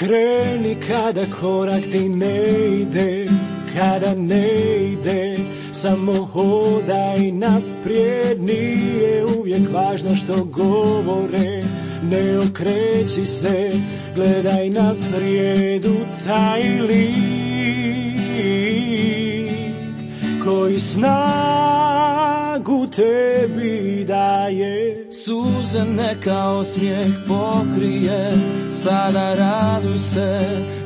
Kreni kada korak ti ne ide, kada ne ide, samo hodaj naprijed, nije uvijek važno što govore, ne okreći se, gledaj naprijed u taj lik koji snagu tebi daje. Suze neka osmijeh pokrije, sada raduj se,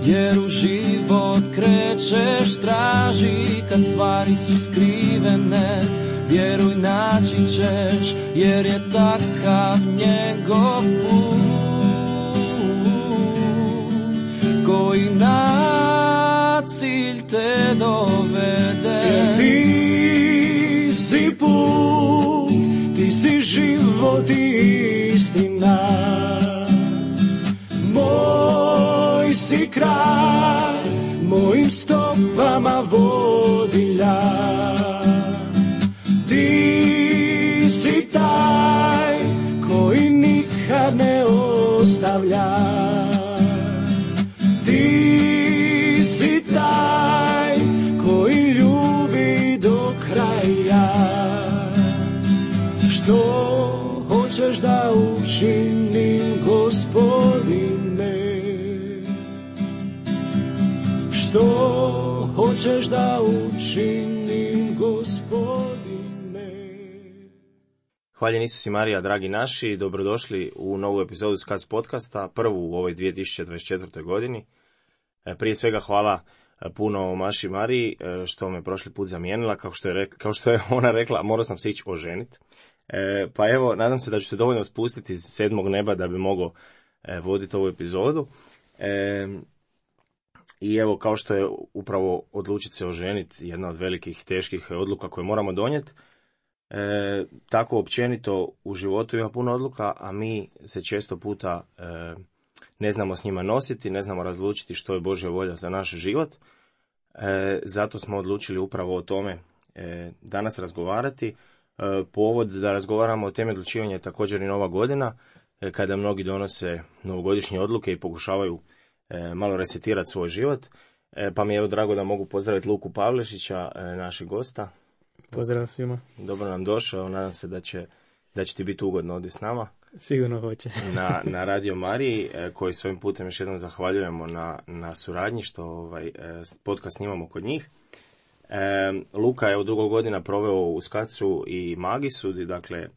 jer u život krećeš, traži kad stvari su skrivene, vjeruj naći ćeš, jer je takav njegov put, koji na cilj te dovede. Jer ti si put, ti si život i istina, moj si kraj, mojim stopama vodilja. Ti si taj koji nikad ne ostavlja, ti si taj koji ljubi do kraja. Što hoćeš da učinim, Gospodine? Što hoćeš da učinim, Gospodine? Hvaljen Isus i Marija, dragi naši, dobrodošli u novu epizodu Skac podcasta, prvu u ovoj 2024. godini. Prije svega hvala puno Maši Mariji što me prošli put zamijenila, kao što je ona rekla, morao sam se ići oženiti. Pa evo, nadam se da ću se dovoljno spustiti iz sedmog neba da bi mogao voditi ovu epizodu. I evo, kao što je upravo odlučiti se oženiti jedna od velikih, teških odluka koje moramo donijeti, tako općenito u životu ima puno odluka, a mi se često puta ne znamo s njima nositi, ne znamo razlučiti što je Božja volja za naš život. Zato smo odlučili upravo o tome danas razgovarati. Povod da razgovaramo o temi odlučivanja je također i Nova godina, kada mnogi donose novogodišnje odluke i pokušavaju malo resetirati svoj život. Pa mi je evo drago da mogu pozdraviti Luku Pavlešića, našeg gosta. Pozdrav svima. Dobro nam došao, nadam se da će ti biti ugodno ovdje s nama. Sigurno hoće. na Radio Mariji, koji svojim putem još jednom zahvaljujemo na suradnji što podcast snimamo kod njih. Luka je dugo godina proveo u Skacu i Magisu, dakle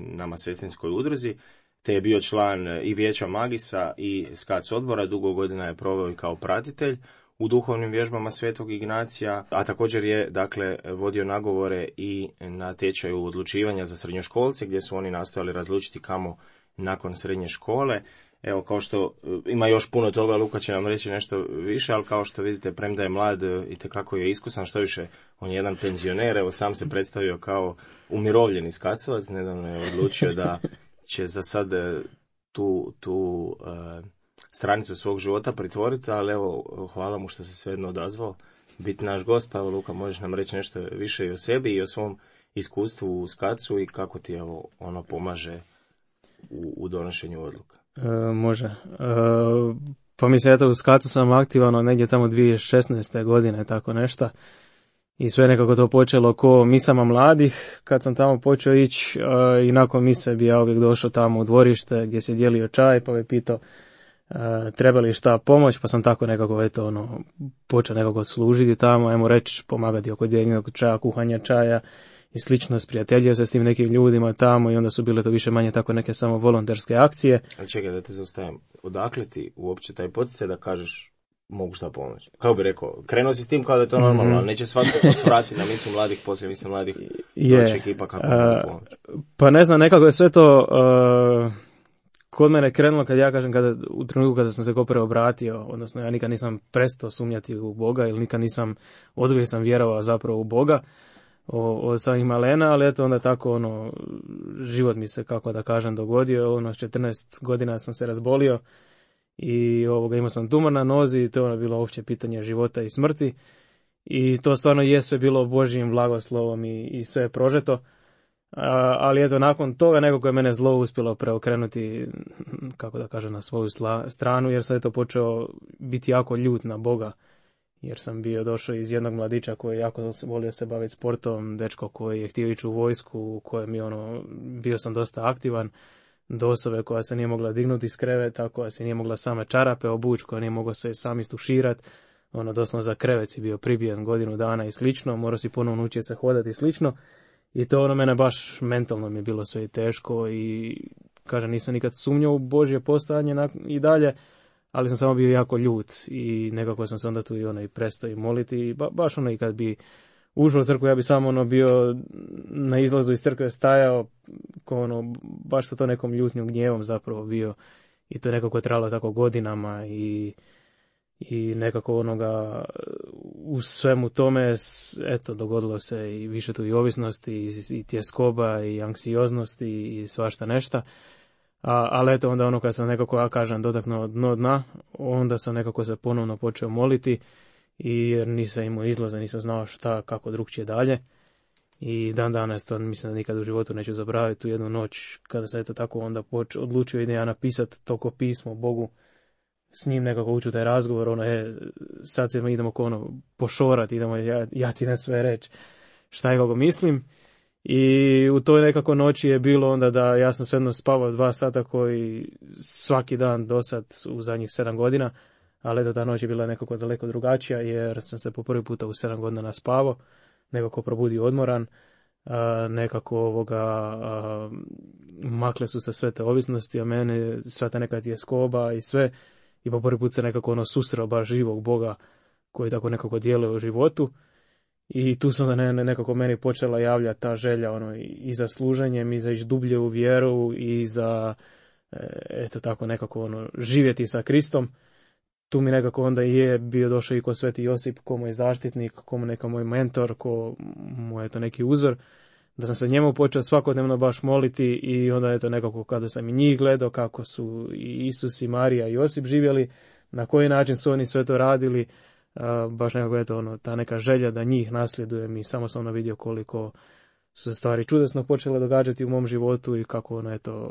nama sestrinskoj udruzi, te je bio član i vijeća Magisa i Skac odbora. Dugo godina je proveo i kao pratitelj u duhovnim vježbama Svetog Ignacija, a također je dakle vodio nagovore i na tečaju odlučivanja za srednjoškolce, gdje su oni nastojali razlučiti kamo nakon srednje škole. Evo, kao što ima još puno toga, Luka će nam reći nešto više, ali kao što vidite, premda je mlad, itekako je iskusan, što više, on je jedan penzioner, evo sam se predstavio kao umirovljeni Skacovac, nedavno je odlučio da će za sad tu stranicu svog života pritvoriti, ali evo, hvala mu što se svejedno odazvao biti naš gost. Pa evo, Luka, možeš nam reći nešto više i o sebi i o svom iskustvu u Skacu i kako ti evo ono pomaže u donošenju odluka. Može. Pa mislim, eto, u Skacu sam aktivan negdje tamo 2016. godine, tako nešto. I sve nekako to počelo ko misama mladih, kad sam tamo počeo ići i nakon mise bi ja uvijek došao tamo u dvorište gdje se dijelio čaj, pa bi pitao treba li šta pomoć, pa sam tako nekako počeo nekako služiti tamo, ajmo reći, pomagati oko dijeljenog čaja, kuhanja čaja i slično, sprijateljio se s tim nekim ljudima tamo i onda su bile to više manje tako neke samo volonterske akcije. Ali čekaj da te zaustavim, odakle ti uopće taj poticaj da kažeš mogu šta pomoći? Kako bi rekao, krenuo si s tim kao da je to normalno, ali neće svatko vrati na misu mladih, poslije misu mladih, doći ekipa kako mogu pomoći. Pa ne znam, nekako je sve to kod mene krenulo, kad ja kažem, u trenutku kada sam se ko preobratio, odnosno ja nikad nisam prestao sumnjati u Boga ili nikad oduvijek sam vjerovao zapravo u Boga od samih malena, ali eto onda tako život mi se, kako da kažem, dogodio. S 14 godina sam se razbolio i imao sam tumor na nozi i to je bilo uopće pitanje života i smrti. I to stvarno je sve bilo Božjim blagoslovom i sve je prožeto. Ali eto, nakon toga nekako je mene zlo uspjelo preokrenuti, kako da kažem, na svoju stranu, jer sam eto počeo biti jako ljut na Boga, jer sam bio došao iz jednog mladića koji jako volio se baviti sportom, dečko koji je htio ići u vojsku, u kojem je bio sam dosta aktivan, do osobe koja se nije mogla dignuti iz kreveta, koja se nije mogla same čarape obući, koja nije mogla se sam istuširati, doslovno za krevet si bio pribijen godinu dana i slično, morao si ponovno učiti se hodati i slično. I to mene baš mentalno mi je bilo sve teško i kažem, nisam nikad sumnjao u Božje postojanje i dalje, ali sam samo bio jako ljut i nekako sam se onda tu i prestao i moliti i baš i kad bi ušao u crkvu, ja bi samo bio na izlazu iz crkve stajao, baš sa to nekom ljutnjom gnjevom zapravo bio i to je nekako trajalo tako godinama i nekako u svemu tome, eto, dogodilo se i više tu i ovisnosti, i tjeskoba, i anksioznosti, i svašta nešta. Ali eto, onda kad sam nekako, ja kažem, dotaknuo dno dna, onda sam nekako se ponovno počeo moliti, jer nisam imao izlaza, nisam znao kako drugčije dalje. I dan danas to mislim da nikad u životu neću zaboraviti, tu jednu noć, kada sam eto tako onda odlučio idem ja napisati toko pismo Bogu, s njim nekako ući u taj razgovor, sad se idemo pošorati, idemo ja ti na sve reći šta je kako mislim. I u toj nekako noći je bilo onda da ja sam svejedno spavao 2 sata koji svaki dan do sad u zadnjih 7 godina, ali eto ta noć je bila nekako daleko drugačija jer sam se po prvi puta u 7 godina naspavao, nekako probudio odmoran, nekako makle su se sve te ovisnosti, a mene sva ta neka tjeskoba i sve. I po prvi put se nekako susreo baš živog Boga koji tako nekako djeluje u životu. I tu se onda nekako meni počela javljati ta želja i za služenjem, i za ići dublje u vjeru, i za eto tako nekako živjeti sa Kristom. Tu mi nekako onda je bio došao i ko Sveti Josip, ko moj zaštitnik, ko neka moj mentor, ko moj eto neki uzor, da sam se njemu počeo svakodnevno baš moliti i onda eto nekako kada sam i njih gledao kako su i Isus i Marija i Josip živjeli, na koji način su oni sve to radili, baš nekako eto ta neka želja da njih nasljedujem i samo sam vidio koliko su se stvari čudesno počele događati u mom životu i kako eto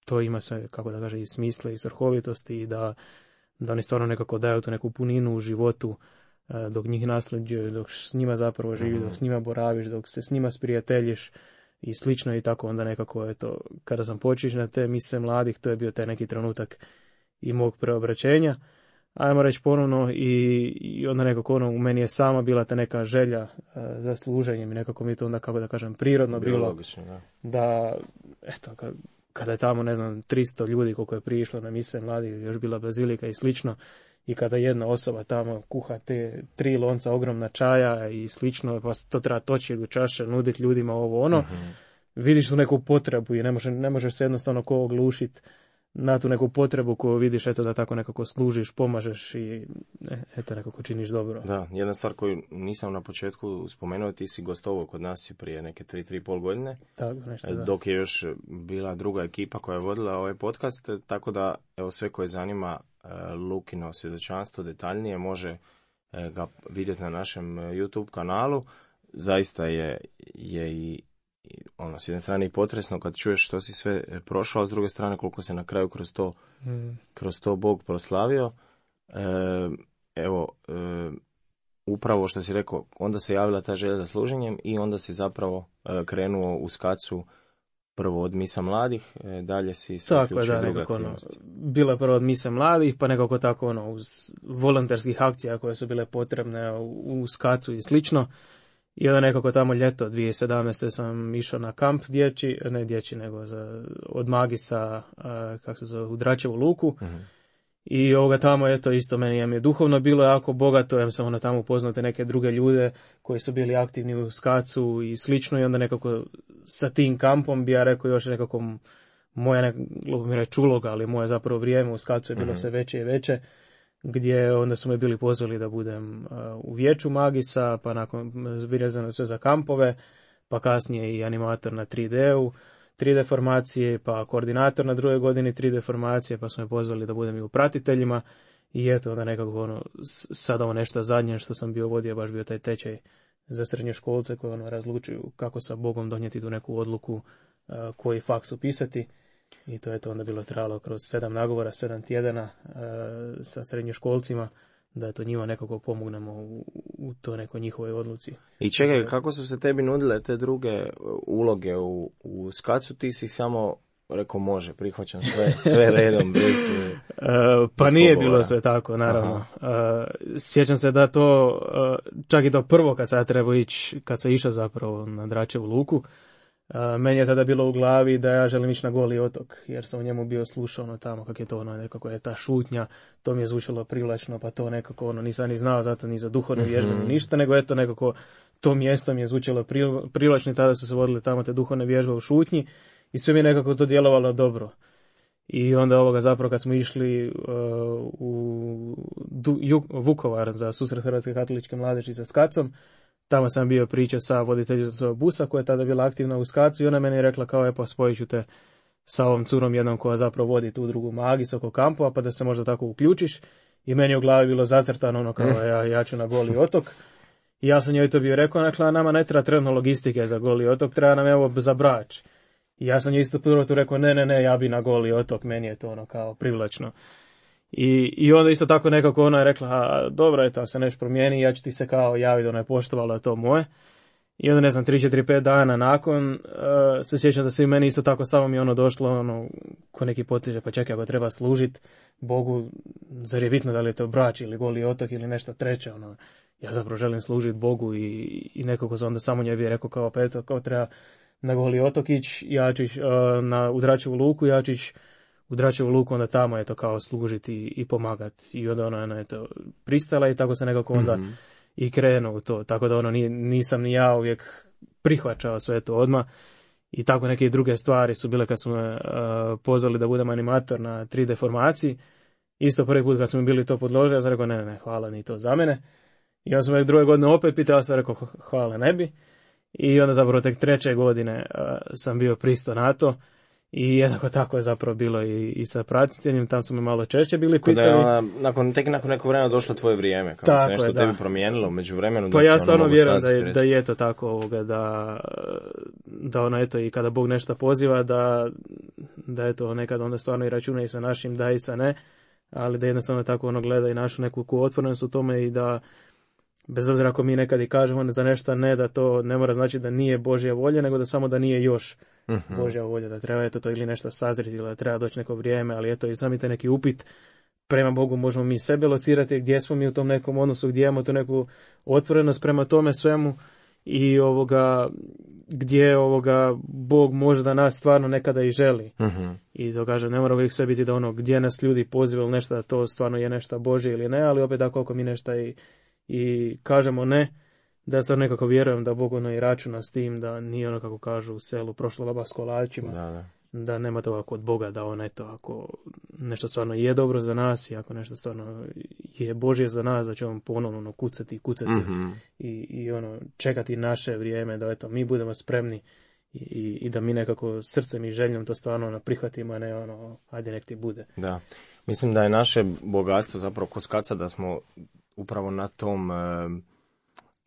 to ima sve, kako da kaže, i smisla i svrhovitosti i da oni stvarno nekako daju tu neku puninu u životu dok njih nasljeđuju, dok s njima zapravo živi, dok s njima boraviš, dok se s njima sprijateljiš i slično i tako onda nekako eto, kada sam počeo na te mise mladih, to je bio taj neki trenutak i mog preobraćenja, ajmo reći ponovno i onda nekako u meni je sama bila ta neka želja za služenjem i nekako mi to onda, kako da kažem, prirodno bilo logično, da eto, kada je tamo, ne znam, 300 ljudi koliko je prišlo na mise mladih, još bila bazilika i slično, i kada jedna osoba tamo kuha te 3 lonca ogromna čaja i slično, pa to treba točiti u čaše, nuditi ljudima ovo vidiš tu neku potrebu i ne možeš se jednostavno ko oglušiti na tu neku potrebu koju vidiš, eto da tako nekako služiš, pomažeš i eto nekako činiš dobro. Da, jedna stvar koju nisam na početku spomenuo, ti si gostovao kod nas prije neke 3,5 godine, tako, nešto, dok je još bila druga ekipa koja je vodila ovaj podcast, tako da evo sve koje zanima Lukino svjedočanstvo detaljnije može ga vidjeti na našem YouTube kanalu. Zaista je i s jedne strane i potresno kad čuješ što si sve prošao, a s druge strane koliko se na kraju kroz to Bog proslavio. Upravo što si rekao, onda se javila ta želja za služenjem i onda si zapravo krenuo u Skacu prvo od misa mladih, dalje si se uključio druge aktivnosti. Bilo je prvo od misa mladih, pa nekako tako uz volonterskih akcija koje su bile potrebne u Skacu i slično. I onda nekako tamo ljeto 2017. sam išao na kamp od Magisa, kako se zove, u Dračevu luku. I tamo isto meni je duhovno bilo jako bogato, ja sam tamo upoznao te neke druge ljude koji su bili aktivni u Skacu i slično i onda nekako sa tim kampom bi ja rekao još nekako moja uloga, ali moje zapravo vrijeme u Skacu je bilo sve veće i veće, gdje onda su me bili pozvali da budem u vijeću Magisa, pa nakon vezano sve za kampove, pa kasnije i animator na 3D-u, 3D formacije, pa koordinator na drugoj godini 3D formacije, pa su me pozvali da budem i u pratiteljima i eto onda nekako sad ovo nešto zadnje što sam bio vodio, baš bio taj tečaj za srednjoškolce koji razlučuju kako sa Bogom donijeti tu neku odluku, koji faks upisati. I to je to onda bilo trajalo kroz 7 nagovora, 7 tjedana sa srednjoškolcima, da to njima nekako pomognemo u to nekoj njihovoj odluci. I čekaj, kako su se tebi nudile te druge uloge u Skacu? Ti si samo rekao može, prihvaćam sve redom. Bez pa nije bilo sve tako, naravno. Sjećam se da to, čak i to prvo kad sam trebao ići, kad sam išao zapravo na Dračevu luku, meni je tada bilo u glavi da ja želim ići na Goli otok, jer sam u njemu bio slušao tamo kako je to nekako je ta šutnja, to mi je zvučalo privlačno, pa to nekako nisam ni znao zato ni za duhovne vježbe ni ništa, nego eto nekako to mjesto mi je zvučalo privlačno i tada su se vodile tamo te duhovne vježbe u šutnji i sve mi je nekako to djelovalo dobro. I onda zapravo kad smo išli u Vukovar za susret Hrvatske katoličke mladeži sa Skacom, tamo sam bio priča sa voditeljicom busa koja je tada bila aktivna u Skacu i ona meni je rekla kao pa spojit ću te sa ovom curom jednom koja zapravo vodi tu drugu magis oko kampova pa da se možda tako uključiš. I meni je u glavi bilo zacrtano kao ja ću na Goli otok. I ja sam njoj to bio rekao, dakle nama ne treba trenutno logistike za Goli otok, treba nam evo za Brač. I ja sam njoj isto prvo tu rekao ne, ja bi na Goli otok, meni je to kao privlačno. I onda isto tako nekako ona je rekla, dobro je to, se nešto promijeni, ja ću ti se kao javiti, ona je poštovala to moje. I onda 3-4-5 dana nakon se sjećam da se i meni isto tako samo mi došlo ko neki potiže, pa čekaj ako treba služiti Bogu, zar je bitno da li je to Brač ili Goli otok ili nešto treće, ja zapravo želim služiti Bogu i nekako sam onda samo njoj bi rekao kao pa eto, kao treba na Goli otok ići, ja ću ići u Dračevu luku, ja ću ići u Dračevu luku, onda tamo je to kao služiti i pomagati. I onda ona je to pristala i tako se nekako onda i krenuo u to. Tako da nisam ni ja uvijek prihvaćao sve to odmah. I tako neke druge stvari su bile kad su me pozvali da budem animator na 3D formaciji. Isto prvi put kad smo bili to podložili, ja sam rekao ne, hvala, ni to za mene. I onda sam druge godine opet pitao, ja sam rekao hvala, ne bi. I onda zapravo tek 3. godine sam bio pristao na to. I jednako tako je zapravo bilo i sa pratiteljem, tam su me malo češće bili pitali. Nakon nekog vremena došlo tvoje vrijeme, kako se nešto tebi promijenilo među vremenu. Pa ja stvarno vjerujem da je to tako, da ona eto i kada Bog nešto poziva, da eto nekad onda stvarno i računa i sa našim da i sa ne, ali da jednostavno tako gleda i našu neku otvorenost u tome i da bez obzira ako mi nekad i kažemo za nešto ne, da to ne mora znači da nije Božja volja, nego da samo da nije još Božja volja, da treba to ili nešto sazriti, ili da treba doći neko vrijeme, ali eto i sami te neki upit prema Bogu možemo mi sebe locirati, gdje smo mi u tom nekom odnosu, gdje imamo tu neku otvorenost prema tome svemu i gdje Bog može da nas stvarno nekada i želi. I to kažem, ne mora uvijek sve biti da gdje nas ljudi poziva ili nešto, da to stvarno je nešto Božje ili ne, ali opet ako mi nešto i kažemo ne, da sad nekako vjerujem da Bog i računa s tim, da nije kako kažu u selu prošlo laba s kolačima, da nema toga kod Boga, da ako nešto stvarno je dobro za nas i ako nešto stvarno je Božje za nas, da će on ponovno kucati i čekati naše vrijeme, da mi budemo spremni i da mi nekako srcem i željom to stvarno prihvatimo, a ne ajde nek ti bude. Da, mislim da je naše bogatstvo zapravo kod Skaca da smo upravo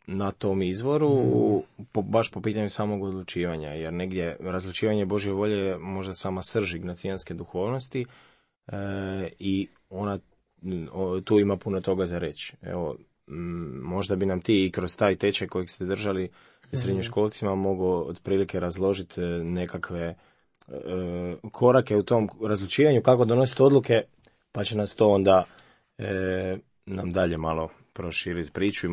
na tom izvoru, baš po pitanju samog odlučivanja, jer negdje razlučivanje Božje volje je možda sama srž ignacijanske duhovnosti i ona tu ima puno toga za reći. Evo, možda bi nam ti i kroz taj tečaj kojeg ste držali srednjoškolcima mogao otprilike razložiti nekakve korake u tom razlučivanju, kako donositi odluke, pa će nas to onda nam dalje malo proširiti priču i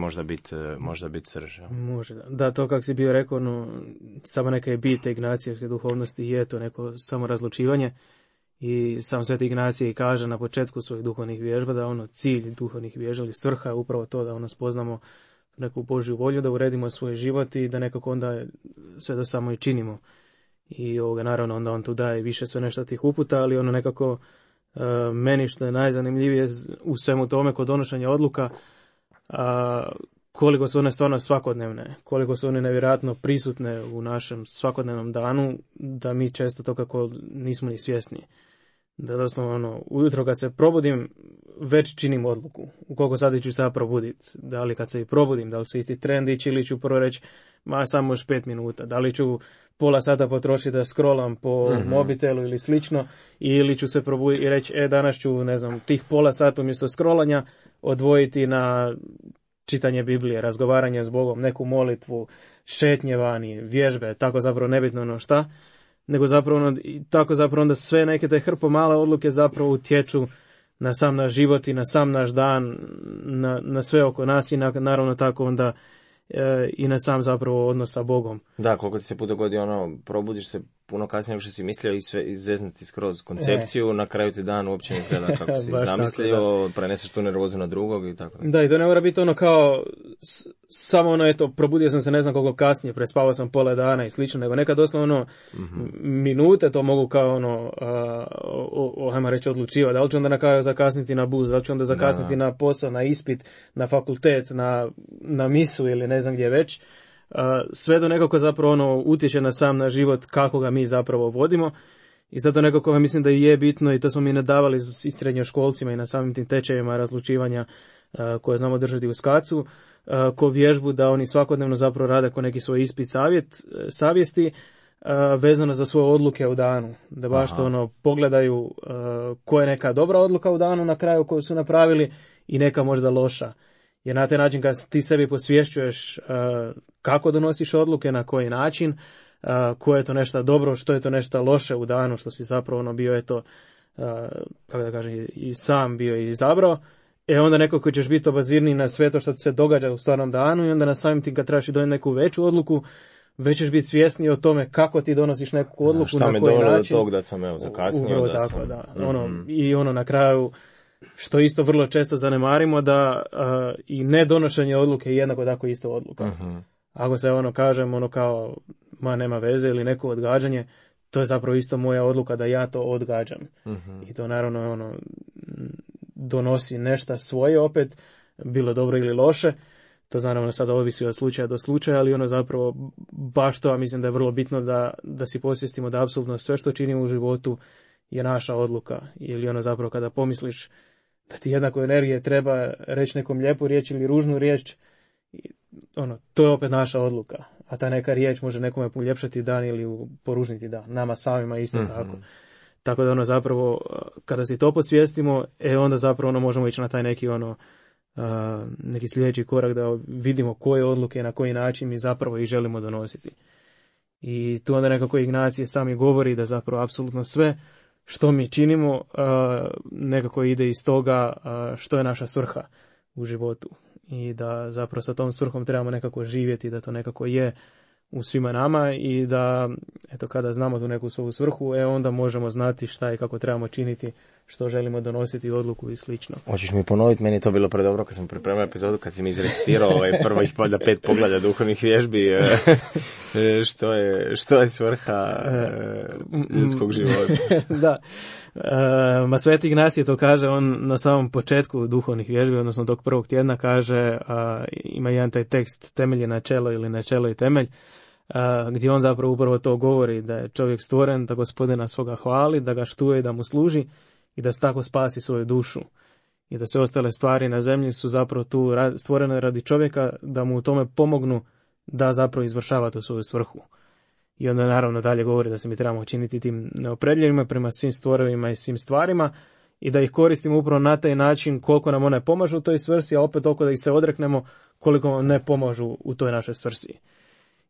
možda biti srž. Može, da, to kako si bio rekao, samo neka je bit ignacijevske duhovnosti je to neko samo razlučivanje i sam Sveti Ignacije kaže na početku svojih duhovnih vježba da cilj duhovnih vježba ili svrha je upravo to da spoznamo neku Božju volju, da uredimo svoj život i da nekako onda sve to samo i činimo. I naravno onda on tu daje više sve nešto tih uputa, ali nekako meni što je najzanimljivije u svemu tome kod donošenja odluka, koliko su one stvarno svakodnevne, koliko su one nevjerojatno prisutne u našem svakodnevnom danu, da mi često to kako nismo ni svjesni. Da doslovno ujutro kad se probudim već činim odluku. U koliko sati ću se ja probuditi. Da li kad se i probudim, da li se isti trend ići ili ću prvo reći samo još 5 minuta. Da li ću pola sata potrošiti da scrollam po mobitelu ili slično, ili ću se probuditi i reći danas ću, ne znam, tih pola sata umjesto scrollanja odvojiti na čitanje Biblije, razgovaranje s Bogom, neku molitvu, šetnje vani, vježbe, tako zapravo nebitno ono šta, nego zapravo tako zapravo onda sve neke te hrpo male odluke zapravo utječu na sam naš život i na sam naš dan, na sve oko nas i naravno tako onda i na sam zapravo odnos sa Bogom. Da, koliko ti se put dogodi probudiš se puno kasnije nego što si mislio i sve izveznati skroz koncepciju, na kraju ti dan uopće ne izgleda kako si zamislio, tako, preneseš tu nervozu na drugog i tako. Da, i to ne mora biti kao samo probudio sam se ne znam koliko kasnije, prespavao sam pola dana i slično, nego nekad doslovno minute to mogu kao ajmo reći odlučivati, da li ću onda na kraju zakasniti na bus, da li ću onda zakasniti na posao, na ispit, na fakultet, na misu ili ne znam gdje već. Sve do nekako zapravo utječe na sam naš život kako ga mi zapravo vodimo i zato nekako mislim da je bitno i to smo mi nadavali i srednjoškolcima i na samim tim tečajima razlučivanja koje znamo držati u SKAC-u ko vježbu da oni svakodnevno zapravo rade ko neki svoj ispit savjesti vezano za svoje odluke u danu, da baš to pogledaju koja je neka dobra odluka u danu na kraju koju su napravili i neka možda loša. Jer na taj način kad ti sebi posvješćuješ kako donosiš odluke, na koji način, koje je to nešto dobro, što je to nešto loše u danu, što si zapravo bio kako da kažem, i sam bio i izabrao, onda nekako ćeš biti obazirniji na sve to što ti se događa u stvarnom danu i onda na samim tim kad trebaš donijeti neku veću odluku, već ćeš biti svjesniji o tome kako ti donosiš neku odluku, na koji način. Šta me dovelo do tog da sam zakasnio. Tako, da. I na kraju, što isto vrlo često zanemarimo, da i nedonošenje odluke je jednako tako isto odluka. Ako se kažem kao nema veze ili neko odgađanje, to je zapravo isto moja odluka da ja to odgađam. I to naravno donosi nešto svoje opet, bilo dobro ili loše. To naravno sada ovisi od slučaja do slučaja, ali zapravo baš to, mislim da je vrlo bitno da si posvijestimo da apsolutno sve što činimo u životu je naša odluka. Ili zapravo kada pomisliš da ti jednako energije treba reći nekom lijepu riječ ili ružnu riječ, to je opet naša odluka. A ta neka riječ može nekome poljepšati dan ili poružniti dan. Nama samima isto tako. Tako da zapravo, kada si to posvijestimo, onda zapravo možemo ići na taj neki neki sljedeći korak da vidimo koje odluke, na koji način mi zapravo ih želimo donositi. I tu onda nekako Ignacije sami govori da zapravo apsolutno sve što mi činimo nekako ide iz toga što je naša svrha u životu i da zapravo sa tom svrhom trebamo nekako živjeti, da to nekako je u svima nama i da kada znamo tu neku svoju svrhu, onda možemo znati šta i kako trebamo činiti, što želimo donositi odluku i slično. Hoćeš mi ponoviti, meni je to bilo predobro kad sam pripremio epizodu, kad si mi izrecitirao prvih 5 poglavlja duhovnih vježbi, što je svrha ljudskog života. Da. Sveti Ignacije to kaže, on na samom početku duhovnih vježbi, odnosno tog prvog tjedna kaže, ima jedan taj tekst temelje načelo ili načelo i temelj, gdje on zapravo upravo to govori, da je čovjek stvoren da Gospodina svoga hvali, da ga štuje i da mu služi i da tako spasi svoju dušu. I da sve ostale stvari na zemlji su zapravo tu stvorene radi čovjeka, da mu u tome pomognu da zapravo izvršava tu svoju svrhu. I onda naravno dalje govori da se mi trebamo činiti tim neopredljivima prema svim stvorovima i svim stvarima i da ih koristimo upravo na taj način koliko nam one pomažu u toj svrsi, a opet toliko da ih se odreknemo koliko ne pomažu u toj našoj svrsi.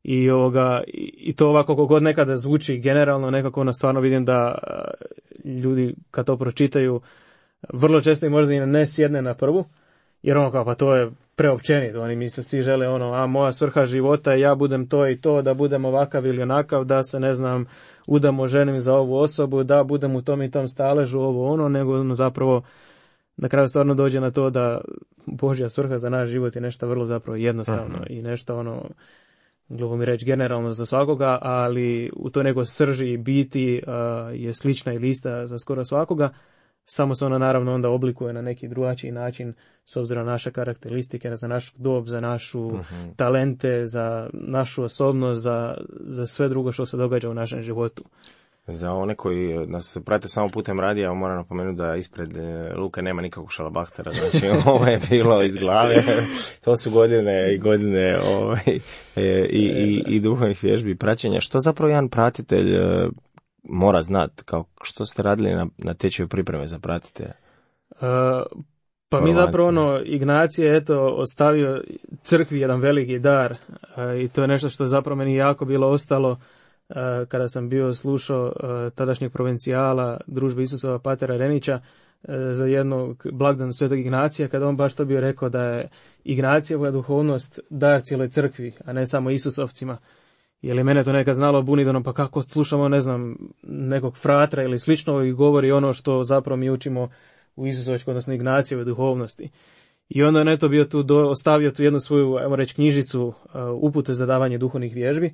I to ovako kako god nekada zvuči generalno, nekako stvarno vidim da ljudi kad to pročitaju vrlo često i možda i ne sjedne na prvu, jer pa to je preopćenito, oni misle, svi žele moja svrha života je ja budem to i to, da budem ovakav ili onakav, da se udamo ženim za ovu osobu, da budem u tom i tom staležu, nego zapravo na kraju stvarno dođe na to da Božja svrha za naš život je nešto vrlo zapravo jednostavno i nešto glupo mi reći generalno za svakoga, ali u toj nekoj srži i biti je slična ili ista za skoro svakoga, samo se ona naravno onda oblikuje na neki drugačiji način s obzirom na naše karakteristike, za našu dob, za našu talente, za našu osobnost, za sve drugo što se događa u našem životu. Za one koji nas prate samo putem radija, moram napomenuti da ispred Luke nema nikakvog šalabahtera, znači ovo je bilo iz glave, to su godine i godine i duhovnih vježbi i praćenja. Što zapravo jedan pratitelj mora znati, kao što ste radili na tečaju pripreme za pratitelja? Pa mi zapravo Ignacije je ostavio crkvi jedan veliki dar i to je nešto što zapravo meni jako bilo ostalo kada sam bio slušao tadašnjeg provincijala Družbe Isusova patera Renića za jednog blagdan Svetog Ignacija, kada on baš to bio rekao da je Ignacijeva duhovnost dar cijeloj crkvi, a ne samo Isusovcima. Jer je mene to nekad znalo buniti, pa kako slušamo, ne znam, nekog fratra ili slično i govori ono što zapravo mi učimo u Isusovačkoj, odnosno Ignacijevoj duhovnosti. I onda je neto bio tu ostavio tu jednu svoju, ajmo reći, knjižicu upute za davanje duhovnih vježbi.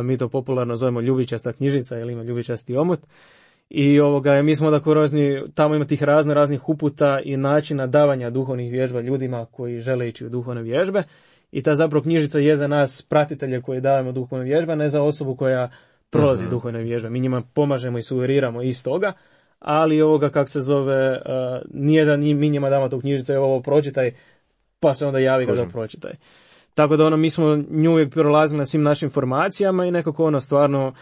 Mi to popularno zovemo ljubičasta knjižica ili ima ljubičasti omot. I mi smo tamo ima tih raznih uputa i načina davanja duhovnih vježba ljudima koji žele ići u duhovne vježbe. I ta zapravo knjižica je za nas pratitelje koji davamo duhovne vježbe, ne za osobu koja prolazi duhovne vježbe. Mi njima pomažemo i sugeriramo iz toga, ali kako se zove, nije da mi njima damo tu knjižicu, ovo pročitaj, pa se onda javi kada pročitaj. Tako da mi smo nju uvijek prolazili na svim našim formacijama i nekako stvarno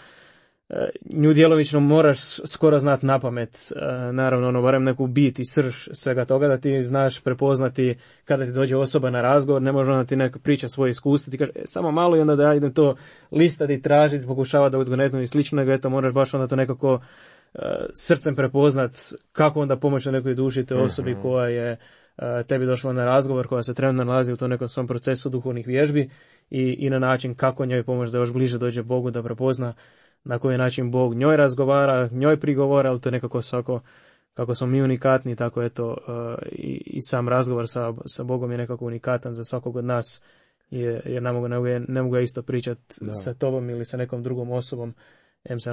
nju djelomično moraš skoro znati na pamet. Naravno, barem neku bit i srž svega toga da ti znaš prepoznati kada ti dođe osoba na razgovor, ne može ona ti neka priča svoje iskustvo, ti kaže samo malo i onda da ja idem to listati, tražiti, pokušava da odgonetnu i slično, nego moraš baš onda to nekako srcem prepoznat kako onda pomoći nekoj duši te osobi koja je tebi došla na razgovor, koja se trenutno nalazi u tom nekom svom procesu duhovnih vježbi i na način kako njoj pomoći da još bliže dođe Bogu, da prepozna na koji način Bog njoj razgovara, njoj prigovara, ali to je nekako kako smo mi unikatni, tako eto i sam razgovor sa Bogom je nekako unikatan za svakog od nas, jer ne mogu isto pričati sa tobom ili sa nekom drugom osobom, se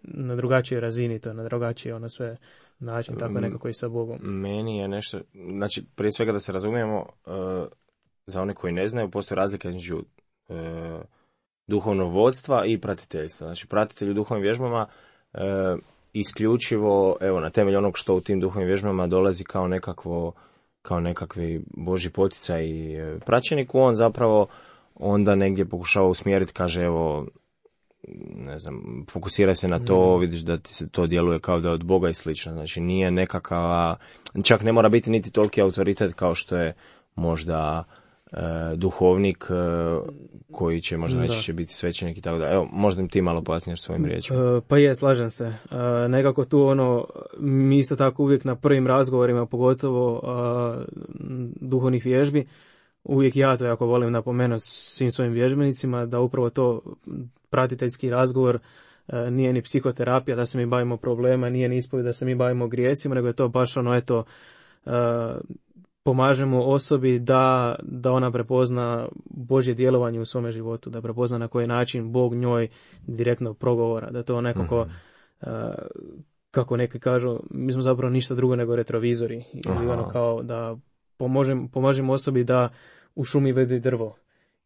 na drugačijoj razini, to na drugačiji sve način, tako nekako i sa Bogom. Meni je nešto, znači prije svega da se razumijemo, za one koji ne znaju, postoji razlika između duhovnog vodstva i pratiteljstva. Znači pratitelj u duhovnim vježbama isključivo, na temelju onog što u tim duhovnim vježbama dolazi kao nekakvi Božji poticaj i praćeniku, on zapravo onda negdje pokušava usmjeriti, kaže ne znam, fokusira se na to, vidiš da ti se to djeluje kao da je od Boga i slično. Znači nije nekakva, čak ne mora biti niti toliki autoritet kao što je možda duhovnik koji će možda najčešće biti svećenik i tako da. Evo, možda im ti malo pojasniš svojim riječima. Pa je, slažem se. Nekako tu mi isto tako uvijek na prvim razgovorima, pogotovo duhovnih vježbi, uvijek ja to jako volim napomenuti svim svojim vježbenicima da upravo to pratiteljski razgovor nije ni psihoterapija da se mi bavimo problema, nije ni ispovijed da se mi bavimo grijesima, nego je to baš pomažemo osobi da ona prepozna Božje djelovanje u svome životu, da prepozna na koji način Bog njoj direktno progovora, da to nekako kako neki kažu, mi smo zapravo ništa drugo nego retrovizori ili kao da pomažemo osobi da u šumi vidi drvo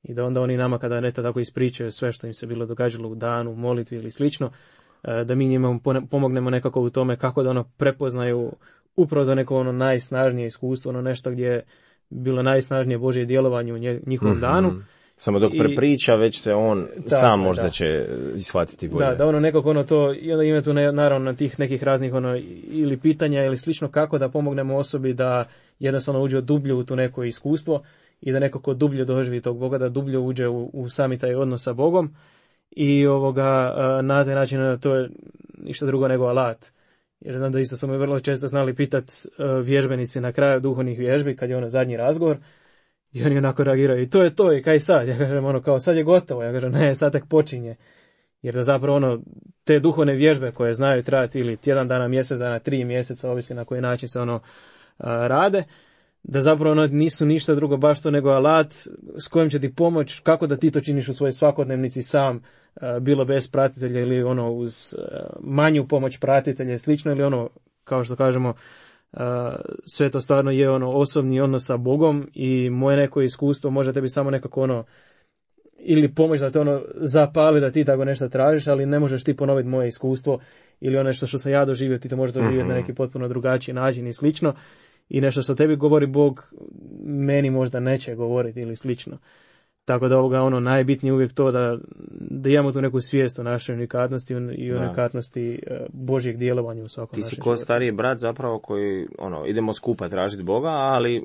i da onda oni nama kada neta tako ispričaju sve što im se bilo događalo u danu, u molitvi ili slično, da mi njima pomognemo nekako u tome kako da prepoznaju upravo da neko najsnažnije iskustvo, nešto gdje je bilo najsnažnije Božje djelovanje u njihovom danu. Samo dok prepriča, već se on sam možda će shvatiti bolje. Da nekako to, i onda ima tu naravno tih nekih raznih ili pitanja ili slično kako da pomognemo osobi da jednostavno uđe dublje u to neko iskustvo i da nekako dublje doživi tog Boga, da dublje uđe u sami taj odnos sa Bogom i na taj način to je ništa drugo nego alat. Jer znam da isto smo vrlo često znali pitati vježbenici na kraju duhovnih vježbi kad je zadnji razgovor i oni onako reagiraju i to je to i kaj sad? Ja kažem kao sad je gotovo, ja kažem ne, sad tek počinje. Jer da zapravo te duhovne vježbe koje znaju trajati ili tjedan dana, mjesec dana, 3 mjeseca, ovisi na koji način se rade, da zapravo nisu ništa drugo baš to nego alat s kojim će ti pomoć kako da ti to činiš u svojoj svakodnevnici sam, bilo bez pratitelja ili uz manju pomoć pratitelja i slično, ili kao što kažemo, sve to stvarno je osobni odnos sa Bogom i moje neko iskustvo može tebi samo nekako ili pomoć da te ono zapali da ti tako nešto tražiš, ali ne možeš ti ponoviti moje iskustvo ili ono što sam ja doživio, ti to možeš doživjeti na neki potpuno drugačiji način i slično. I nešto što tebi govori Bog, meni možda neće govoriti ili slično. Tako da ono najbitnije uvijek to da imamo tu neku svijest o našoj unikatnosti i unikatnosti Božjeg djelovanja u svakom našem. Ti si ko stariji brat zapravo koji idemo skupa tražiti Boga, ali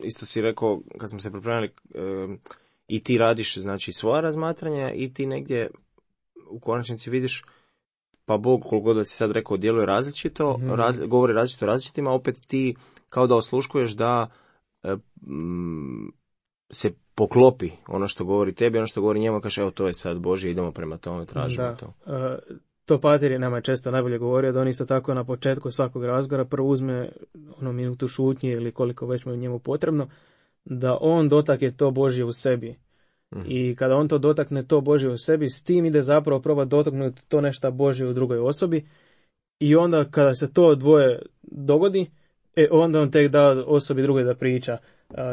isto si rekao kad smo se pripremili i ti radiš znači svoja razmatranja i ti negdje u konačnici vidiš pa Bog koliko god da si sad rekao djeluje različito, govori različito različitima, opet ti kao da osluškuješ da se poklopi ono što govori tebi, ono što govori njemu, kaže evo to je sad Božje, idemo prema tome, tražimo to. To Pater nama je često najbolje govorio, da on isto tako na početku svakog razgovora prvo uzme minutu šutnje ili koliko već mu je njemu potrebno, da on dotakne to Božje u sebi. I kada on to dotakne to Božje u sebi, s tim ide zapravo proba dotaknuti to nešto Božje u drugoj osobi i onda kada se to dvoje dogodi, onda on tek da osobi drugoj da priča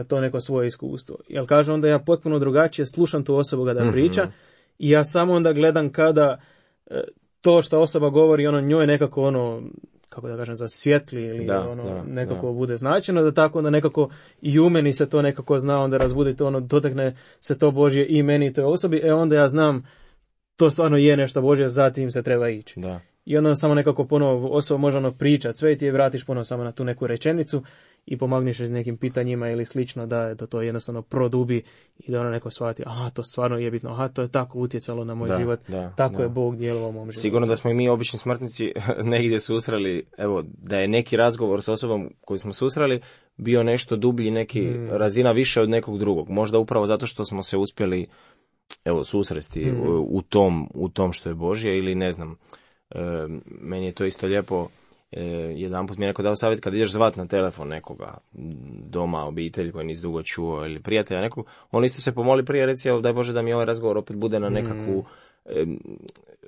to neko svoje iskustvo. Jer kaže onda ja potpuno drugačije slušam tu osobu kada priča i ja samo onda gledam kada to što osoba govori njoj nekako kako da kažem, zasvjetli ili nekako bude značajno, da tako onda nekako i u meni se to nekako zna onda razbuditi, dotakne se to Božje i meni i toj osobi, onda ja znam to stvarno je nešto Božje, zatim se treba ići. Da. I onda samo nekako ponovo osoba može pričati sve i ti je vratiš ponovo samo na tu neku rečenicu i pomagniš s nekim pitanjima ili slično da to jednostavno produbi i da neko shvati, to stvarno je bitno, to je tako utjecalo na moj život, tako je Bog djelovao u mom životu. Sigurno da smo i mi obični smrtnici negdje susreli, evo, da je neki razgovor s osobom koju smo susreli bio nešto dublji, neki razina više od nekog drugog. Možda upravo zato što smo se uspjeli susresti u tom što je Božje ili ne znam. Meni je to isto lijepo. Jedanput mi je neko dao savjet kad ideš zvat na telefon nekoga doma, obitelj koji nisi dugo čuo ili prijatelja nekog, on isto se pomoli prije, reci daj Bože da mi ovaj razgovor opet bude na nekakvu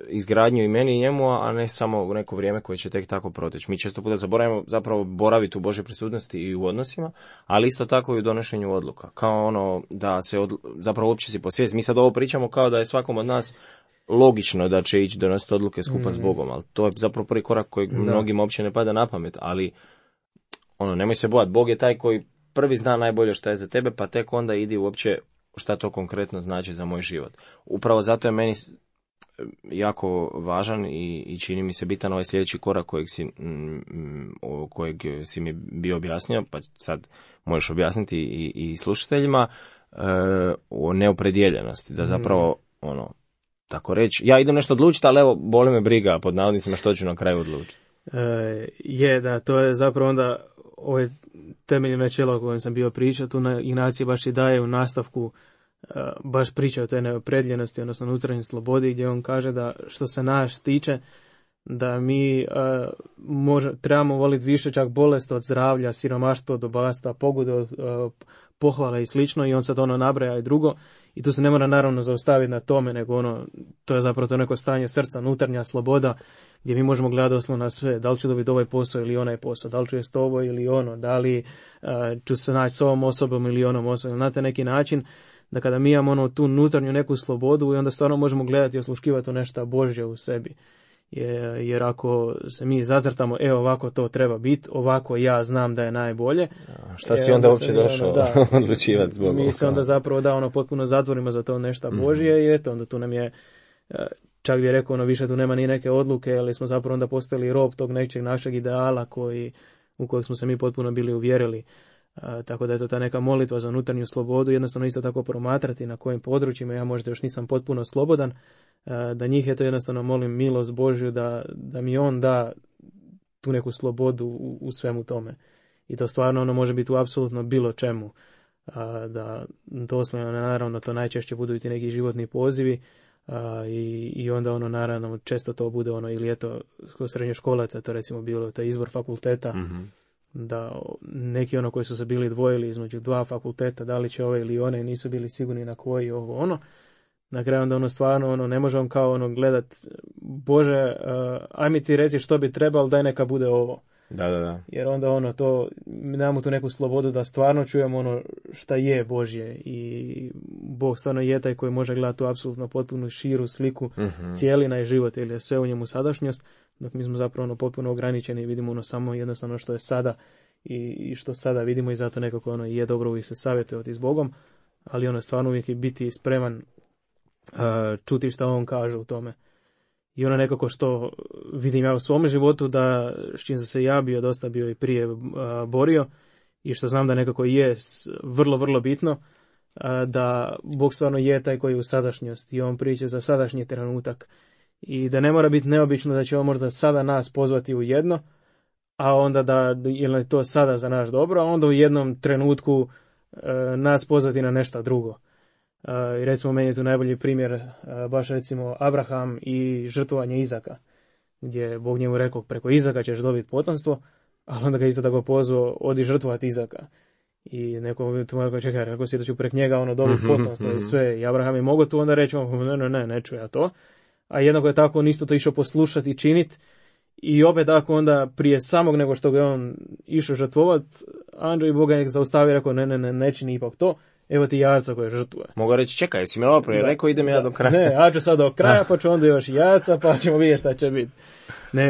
izgradnju i meni i njemu, a ne samo u neko vrijeme koje će tek tako proteći. Mi često puta zaboravimo zapravo boraviti u Božoj prisutnosti i u odnosima, ali isto tako i u donošenju odluka. Kao da se zapravo uopće si posvijesti. Mi sad ovo pričamo kao da je svakom od nas logično da će ići donositi odluke skupa s Bogom, ali to je zapravo prvi korak koji mnogim uopće ne pada na pamet, ali nemoj se bojati, Bog je taj koji prvi zna najbolje šta je za tebe, pa tek onda idi uopće šta to konkretno znači za moj život. Upravo zato je meni jako važan i čini mi se bitan ovaj sljedeći korak kojeg si mi bio objasnio, pa sad možeš objasniti i slušateljima, o neopredjeljenosti, da zapravo tako reći, ja idem nešto odlučiti, ali evo, boli me briga pod navodnicima što ću na kraju odlučiti. To je zapravo onda ovo temeljno načelo o kojem sam bio pričao, tu Ignacij baš i daje u nastavku baš priča o toj neopredjeljenosti, odnosno unutarnjoj slobodi, gdje on kaže da što se nas tiče, da mi trebamo voliti više čak bolest od zdravlja, siromaštvo od bogatstva, pogudu od pohvala i slično, i on sad nabraja i drugo, i tu se ne mora naravno zaustaviti na tome, nego to je zapravo to neko stanje srca, unutarnja sloboda, gdje mi možemo gledati doslovno na sve, da li ću dobiti ovaj posao ili onaj posao, da li ću jest ovo ili ono, da li ću se naći s ovom osobom ili onom osobom, na taj neki način, da kada mi imamo tu unutarnju neku slobodu i onda stvarno možemo gledati i osluškivati to nešto Božje u sebi. Jer ako se mi zacrtamo, ovako to treba biti, ovako ja znam da je najbolje. Šta si onda uopće došao odlučivati s Bogom? Mi se onda zapravo potpuno zatvorimo za to nešto Božje i eto, onda tu nam je, čak bi rekao, više tu nema ni neke odluke, ali smo zapravo onda postali rob tog nečeg našeg ideala u kojeg smo se mi potpuno bili uvjerili. Tako da je to ta neka molitva za unutarnju slobodu, jednostavno isto tako promatrati na kojim područjima ja možda još nisam potpuno slobodan, da njih je to jednostavno molim milost Božju da mi on da tu neku slobodu u svemu tome. I to stvarno može biti u apsolutno bilo čemu. Da doslovno naravno to najčešće budu i ti neki životni pozivi, i onda naravno često to bude ili je to kod srednjoškolaca, to recimo bilo taj izbor fakulteta, da neki koji su se bili dvojili između dva fakulteta, da li će ove ili one, nisu bili sigurni na koji na kraju onda stvarno ne možemo kao gledat, Bože, aj mi ti reci što bi trebalo, daj neka bude ovo. Da. Jer onda to, damo tu neku slobodu da stvarno čujemo ono šta je Božje i Bog stvarno je taj koji može gledati tu apsolutno potpuno širu sliku, cijelina i život, ili je sve u njemu sadašnjost, dok mi smo zapravo potpuno ograničeni i vidimo samo jednostavno što je sada i što sada vidimo i zato nekako je dobro uvijek se savjetovati s Bogom, ali stvarno uvijek je biti spreman čuti što on kaže u tome. I nekako što vidim ja u svom životu, da s čim sam se ja dosta bio i prije borio i što znam da nekako je vrlo, vrlo bitno, da Bog stvarno je taj koji je u sadašnjosti i on priča za sadašnji trenutak i da ne mora biti neobično da će on možda sada nas pozvati u jedno, a onda da je to sada za naš dobro, a onda u jednom trenutku nas pozvati na nešto drugo. I recimo meni je tu najbolji primjer baš recimo Abraham i žrtvovanje Izaka, gdje je Bog njemu rekao preko Izaka ćeš dobiti potomstvo, ali onda ga isto tako pozvao odi žrtvovati Izaka. I neko tu mora čekaj, ako si da ću preko njega dobiti potomstvo i sve. I Abraham je mogao tu onda reći ne ću ja to. A jednako je tako on isto to išao poslušati i činiti. I opet tako onda prije samog nego što ga on išao žrtvovat, Andrej Bog ga zaustavio i rekao ne čini ipak to. Evo ti jarca koje žrtvuje. Mogu reći, čekaj, jesi mi ovo prije rekao, idem ja do kraja. Ne, ja ću sad do kraja, pa ću onda još jarca, pa ćemo vidjeti šta će biti.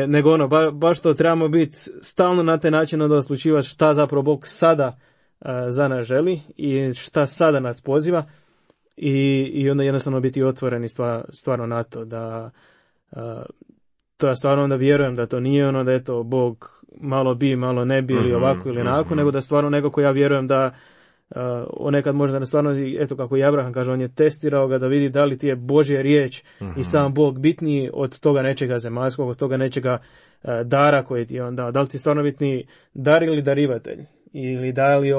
Nego baš to trebamo biti stalno na taj način onda oslučivati šta zapravo Bog sada za nas želi i šta sada nas poziva i onda jednostavno biti otvoreni stvarno na to, da to ja stvarno onda vjerujem da to nije da eto Bog malo bi, malo ne bi ili ovako ili onako, nego da stvarno nekako ja vjerujem da nekad možda stvarno, eto kako i Abraham kaže, on je testirao ga da vidi da li ti je Božja riječ i sam Bog bitniji od toga nečega zemaljskog, od toga nečega dara koji ti je on dao. Da li ti je stvarno bitniji dar ili darivatelj? Ili da li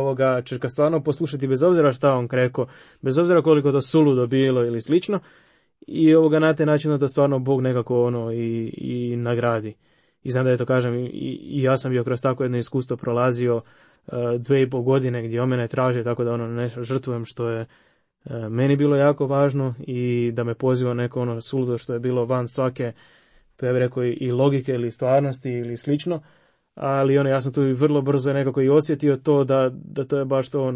ćeš ga stvarno poslušati bez obzira šta on rekao, bez obzira koliko to suludo bilo ili slično, i na taj način da stvarno Bog nekako i nagradi. I znam da je to kažem, i ja sam bio kroz tako jedno iskustvo prolazio 2,5 godine gdje on mene traži tako da nešto žrtvujem što je meni bilo jako važno i da me poziva neko suludo što je bilo van svake, to ja bih rekao i logike ili stvarnosti ili slično, ali ja sam tu vrlo brzo nekako i osjetio to da to je baš to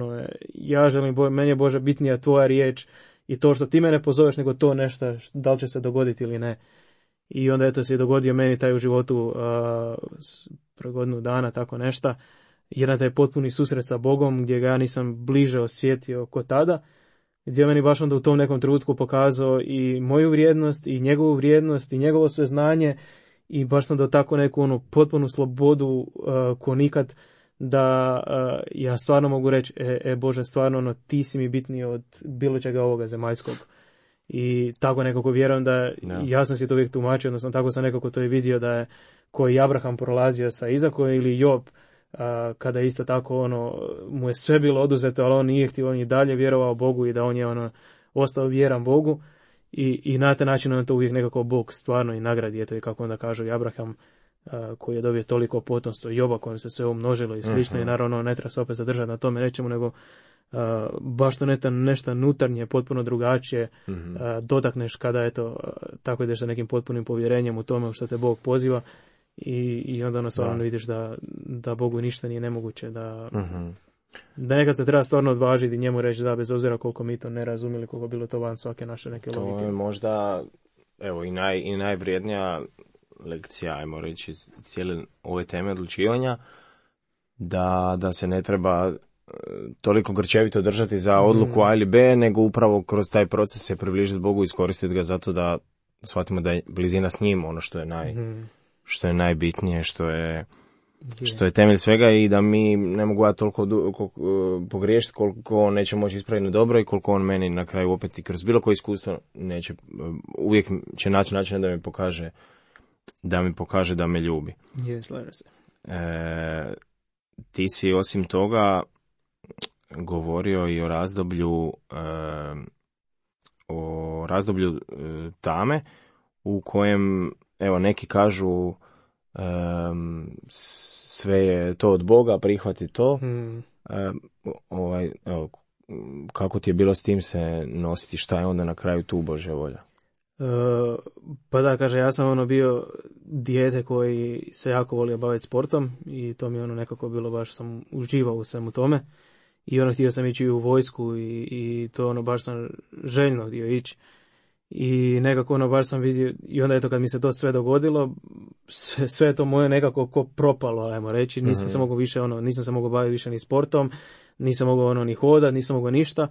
ja želim, meni je Bože bitnija tvoja riječ i to što ti mene pozoveš nego to nešto, da li će se dogoditi ili ne. I onda eto se je dogodio meni taj u životu pre godinu dana, tako nešto, jedan taj potpuni susret sa Bogom gdje ga ja nisam bliže osjetio ko tada, gdje je meni baš onda u tom nekom trenutku pokazao i moju vrijednost i njegovu vrijednost i njegovo sve znanje i baš sam do tako neku potpunu slobodu ko nikad, da ja stvarno mogu reći Bože, stvarno ti si mi bitniji od bilo čega ovoga zemaljskog. I tako nekako vjerujem da ja sam si to uvijek tumačio, odnosno tako sam nekako to i vidio da je koji Abraham prolazio sa Izakom ili Job, kada isto tako mu je sve bilo oduzeto, ali on nije htio, on je dalje vjerovao Bogu i da on je ostao vjeran Bogu i na taj način on to uvijek nekako Bog stvarno i nagradi. Eto i kako onda kažu i Abraham koji je dobio toliko potomstvo, Joba kojem se sve umnožilo i slično, i naravno ne treba se opet zadržati na tome, nećemo, nego baš to nešto nutarnje, potpuno drugačije dotakneš kada eto tako ideš sa nekim potpunim povjerenjem u tome što te Bog poziva i onda stvarno vidiš da Bogu ništa nije nemoguće, da nekad se treba stvarno odvažiti i njemu reći da bez obzira koliko mi to ne razumjeli, koliko bilo to van svake naše neke logike. To je možda evo i najvrijednija lekcija, ajmo reći, cijele ove teme odlučivanja, da se ne treba toliko grčevito držati za odluku A ili B, nego upravo kroz taj proces se približiti Bogu i iskoristiti ga zato da shvatimo da je blizina s njim ono što je što je najbitnije, što je temelj svega, i da mi ne mogu ja toliko pogriješiti koliko on neće moći ispraviti dobro i koliko on meni na kraju opet i kroz bilo koje iskustvo neće, uvijek će naći način da mi pokaže da me ljubi. Slažem se. Ti si osim toga govorio i o razdoblju tame u kojem, evo, neki kažu sve je to od Boga, prihvati to. Kako ti je bilo s tim se nositi, šta je onda na kraju tu Božja volja? Pa da, kaže, ja sam bio dijete koji se jako volio baviti sportom i to mi nekako bilo, baš sam uživao u svemu tome i htio sam ići u vojsku i to baš sam željno htio ići i nekako baš sam vidio i onda kad mi se to sve dogodilo, sve to moje nekako ko propalo, ajmo reći, nisam se mogao više nisam se mogao baviti više ni sportom, nisam mogao ni hodat, nisam mogao ništa.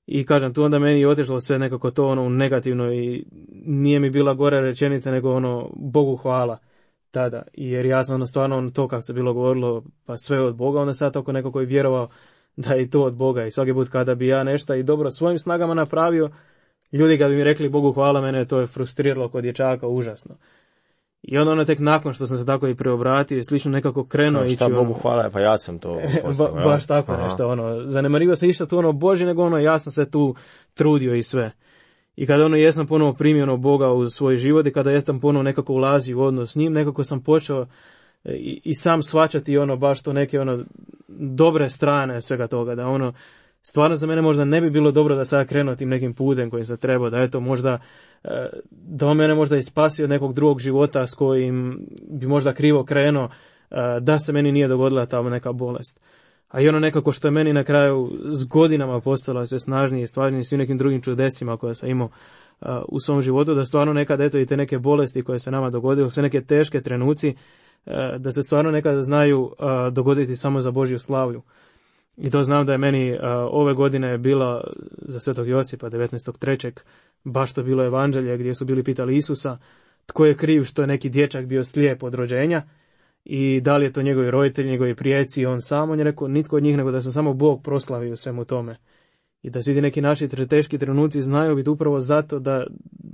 I kažem, tu onda meni je otišlo sve nekako to u negativno i nije mi bila gora rečenica nego Bogu hvala tada. Jer ja sam stvarno to kako se bilo govorilo, pa sve od Boga, onda sad oko neko koji vjerovao da je to od Boga. I svaki put kada bi ja nešto i dobro svojim snagama napravio, ljudi kad bi mi rekli Bogu hvala, mene to je frustriralo kod dječaka užasno. I onda tek nakon što sam se tako i preobratio i slično nekako krenuo ići. Šta Bogu hvala, pa ja sam to postao. Baš tako nešto, zanemarivo se išta tu Bože, nego ja sam se tu trudio i sve. I kada jesam ponovo primio Boga u svoj život i kada jesam ponovo nekako ulazio u odnos s njim, nekako sam počeo i sam shvaćati baš to neke dobre strane svega toga, da stvarno za mene možda ne bi bilo dobro da sad krenuo tim nekim putem kojim sam trebao, da možda da on mene možda i spasio od nekog drugog života s kojim bi možda krivo krenuo, da se meni nije dogodila ta neka bolest. A i nekako što je meni na kraju s godinama postalo sve snažnije i stvažnije svim nekim drugim čudesima koje sam imao u svom životu, da stvarno nekad i te neke bolesti koje se nama dogodile, sve neke teške trenuci, da se stvarno nekada znaju dogoditi samo za Božju slavlju. I to znam da je meni ove godine bila za Svetog Josipa 19.3. baš to bilo evanđelje gdje su bili pitali Isusa tko je kriv što je neki dječak bio slijep od rođenja i da li je to njegovi roditelji, njegovi prijeci i on sam. On je rekao nitko od njih nego da se samo Bog proslavi u svemu tome. I da svi neki naši teški trenuci znaju biti upravo zato da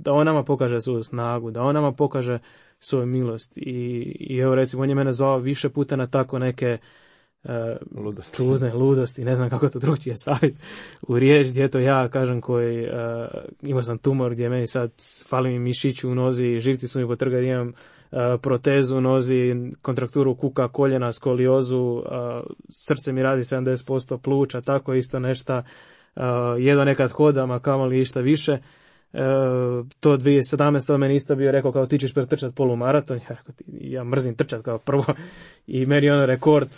on nama pokaže svoju snagu, da on nama pokaže svoju milost. I evo recimo on je mene zvao više puta na tako neke čudne ludosti, ne znam kako to drugčije staviti u riječ, gdje to ja kažem koji imao sam tumor gdje meni sad fali mi mišić u nozi, živci su mi potrgali, imam protezu u nozi, kontrakturu kuka, koljena, skoliozu, srce mi radi 70% pluća, tako isto nešto, jedva nekad hodam, a kamoli išta više. To 2017. meni isto bio rekao kao ti ćeš pretrčati polumaraton, ja mrzim trčati kao prvo i meni rekord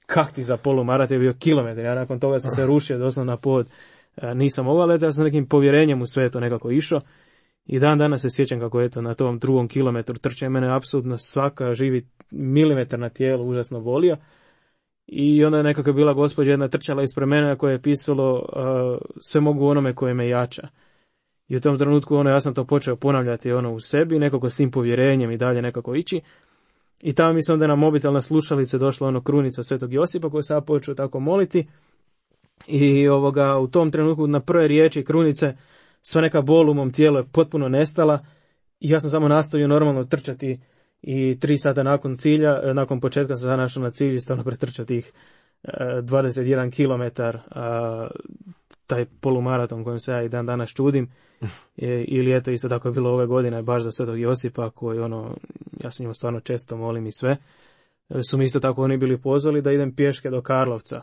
kak ti za polumaraton je bio kilometar, ja nakon toga sam se rušio doslovno na pod, nisam mogao, ali ja sam nekim povjerenjem u sve to nekako išao i dan danas se sjećam kako na tom 2. kilometru trčanje mene apsolutno svaka živi milimetar na tijelu užasno bolio i onda je nekako bila gospođa jedna trčala ispred mene koja je pisalo sve mogu onome koje me jača. I u tom trenutku ja sam to počeo ponavljati u sebi, nekako s tim povjerenjem i dalje nekako ići. I tamo mi se onda na mobitel na slušalice došla krunica Svetog Josipa koju sam počeo tako moliti. I u tom trenutku na prve riječi krunice sva neka bol u mom tijelu je potpuno nestala. I ja sam samo nastavio normalno trčati i 3 sata nakon cilja, nakon početka sam našao na cilju i stvarno pretrčao tih 21 kilometar, taj polumaraton kojim se ja i dan danas čudim. Ili eto isto tako je bilo ove godine baš za Svetog Josipa koji ja se njemu stvarno često molim i sve. Su mi isto tako oni bili pozvali da idem pješke do Karlovca.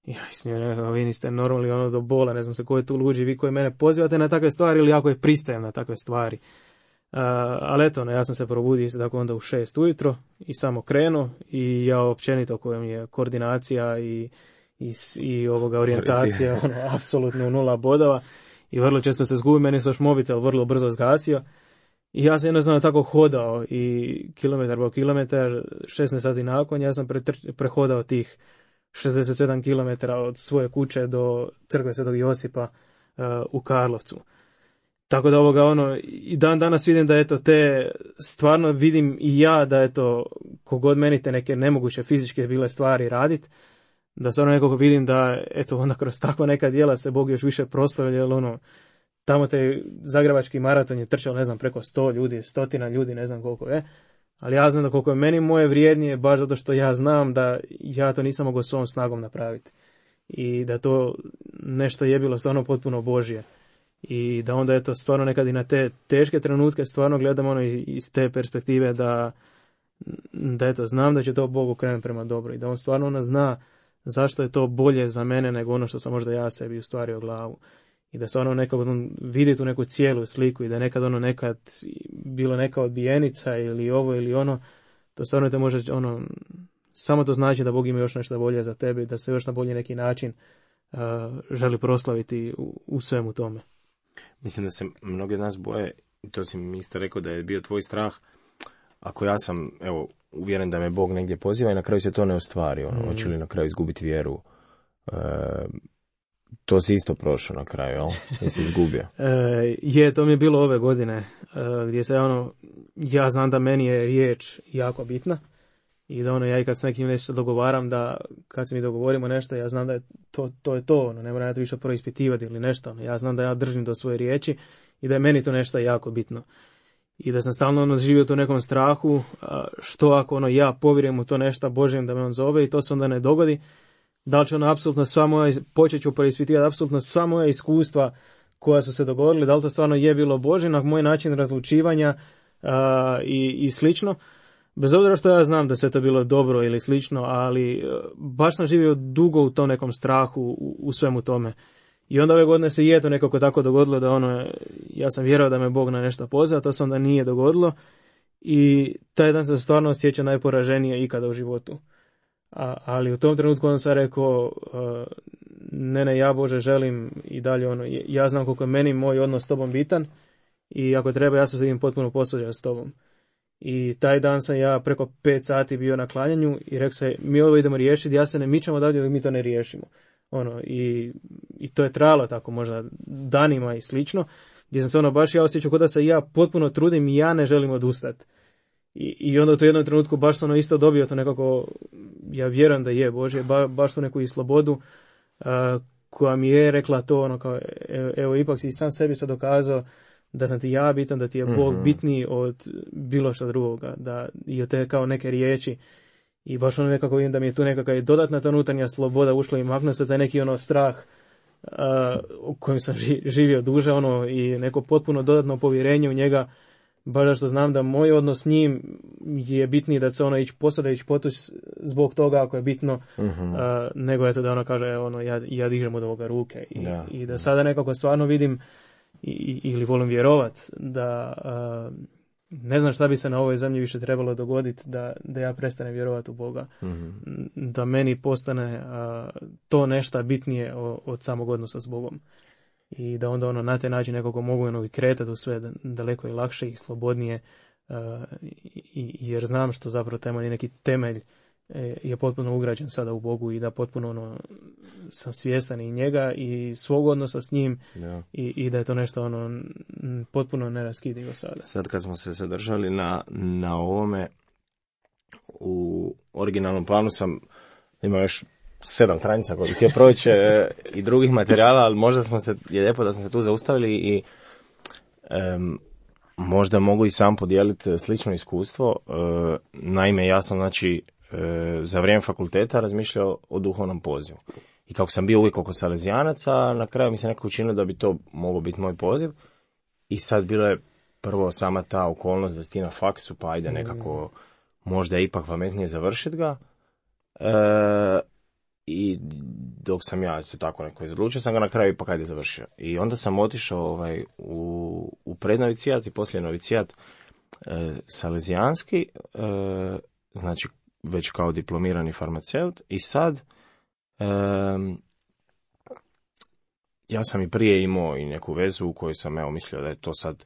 Ja s njim rekao, vi niste normalni do bola, ne znam se ko je tu luđi, vi koji mene pozivate na takve stvari ili ja koji pristajem na takve stvari. Ali eto, ja sam se probudio isto tako onda u 6 ujutro i samo krenuo i ja općenito kojom je koordinacija i orijentacija apsolutno 0 bodova i vrlo često se zgubim, meni se još mobitel vrlo brzo zgasio i ja sam jednostavno tako hodao i kilometar po kilometar, 16 sati nakon ja sam prehodao tih 67 km od svoje kuće do crkve Svetog Josipa u Karlovcu. Tako da i dan danas vidim da te stvarno vidim i ja da kogod meni te neke nemoguće fizičke bile stvari radit, da stvarno nekako vidim da onda kroz takva neka djela se Bog još više proslavlja, jer tamo te zagrebački maraton je trčao ne znam preko 100 ljudi, 100 ljudi, ne znam koliko je, ali ja znam da koliko je meni moje vrijednije baš zato što ja znam da ja to nisam mogao svom snagom napraviti i da to nešto je bilo stvarno potpuno Božje. I da onda stvarno nekad i na te teške trenutke stvarno gledam iz te perspektive da znam da će to Bog okrenuti prema dobro i da on stvarno zna zašto je to bolje za mene nego ono što sam možda ja sebi ustvario glavu. I da stvarno nekad vidi tu neku cijelu sliku i da je nekad bilo neka odbijenica ili ovo ili ono, to stvarno te može, samo to znači da Bog ima još nešto bolje za tebe, da se još na bolji neki način želi proslaviti u svemu tome. Mislim da se mnogi od nas boje, to si mi isto rekao da je bio tvoj strah, ako ja sam, uvjeren da me Bog negdje poziva i na kraju se to ne ostvari, hoću li na kraju izgubiti vjeru. To si isto prošao na kraju, jel? Jesi izgubio? To mi je bilo ove godine, gdje se ja znam da meni je riječ jako bitna i da ja i kad s nekim nešto dogovaram, da kad se mi dogovorimo nešto, ja znam da je to, ne moram ja to više preispitivati ili nešto, ja znam da ja držim do svoje riječi i da je meni to nešto jako bitno. I da sam stalno živio u nekom strahu, što ako ja povjerujem u to nešto Božjem da me on zove i to se onda ne dogodi, da li će apsolutno sva moja, počet ću preispitivati apsolutno sva moja iskustva koja su se dogodila, da li to stvarno je bilo Božje, na moj način razlučivanja i slično. Bez obzira što ja znam da se to bilo dobro ili slično, ali baš sam živio dugo u tom nekom strahu u svemu tome. I onda ove godine se to nekako tako dogodilo da ja sam vjerovao da me Bog na nešto pozva, to se onda nije dogodilo i taj dan sam stvarno osjećao najporaženije ikada u životu. Ali u tom trenutku on sam rekao, ne, ja Bože želim i dalje ja znam koliko je meni moj odnos s tobom bitan i ako treba ja se s njim potpuno posvađao s tobom. I taj dan sam ja preko 5 sati bio na klanjanju i rekao sam, mi ovo idemo riješiti, ja se ne mičem odavdje dok mi to ne riješimo. I to je trajalo tako možda danima i slično, gdje sam se baš ja osjećao da se ja potpuno trudim i ja ne želim odustati. I onda u to jednom trenutku baš sam isto dobio to nekako, ja vjerujem da je Božje, baš tu neku i slobodu koja mi je rekla to kao, evo ipak si sam sebi sad dokazao da sam ti ja bitan, da ti je Bog bitniji od bilo što drugoga, da i od te kao neke riječi. I baš nekako vidim da mi je tu nekakva dodatna ta unutarnja sloboda ušla i maknuo se taj neki strah u kojem sam živio duže i neko potpuno dodatno povjerenje u njega, baš što znam da moj odnos s njim je bitniji da se ići posada, ići potuć zbog toga ako je bitno, nego eto da kaže ja dižem od ovoga ruke i da sada nekako stvarno vidim ili volim vjerovat da ne znam šta bi se na ovoj zemlji više trebalo dogoditi da ja prestanem vjerovati u Boga. Da meni postane to nešto bitnije od samog odnosa s Bogom. I da onda na taj način nekako mogu i kretati u sve daleko i lakše i slobodnije, jer znam što zapravo taj neki temelj je potpuno ugrađen sada u Bogu i da potpuno sam svjestan i njega i svog odnosa s njim i da je to nešto potpuno neraskidivo sada. Sad kad smo se zadržali na ovome, u originalnom planu sam imao još 7 stranica koje bih htio proći i drugih materijala, ali možda je lijepo da smo se tu zaustavili i možda mogu i sam podijeliti slično iskustvo. Naime, ja sam za vrijeme fakulteta razmišljao o duhovnom pozivu. I kako sam bio uvijek oko salezijanaca, na kraju mi se nekako učinilo da bi to mogao biti moj poziv. I sad bilo je prvo sama ta okolnost da si ti na faksu, pa ajde nekako možda je ipak pametnije završiti ga. I dok sam ja se tako neko izodlučio, sam ga na kraju ipak ajde završio. I onda sam otišao u prednovicijat i poslije novicijat salezijanski, znači već kao diplomirani farmaceut i sad ja sam i prije imao i neku vezu u kojoj sam mislio da je to sad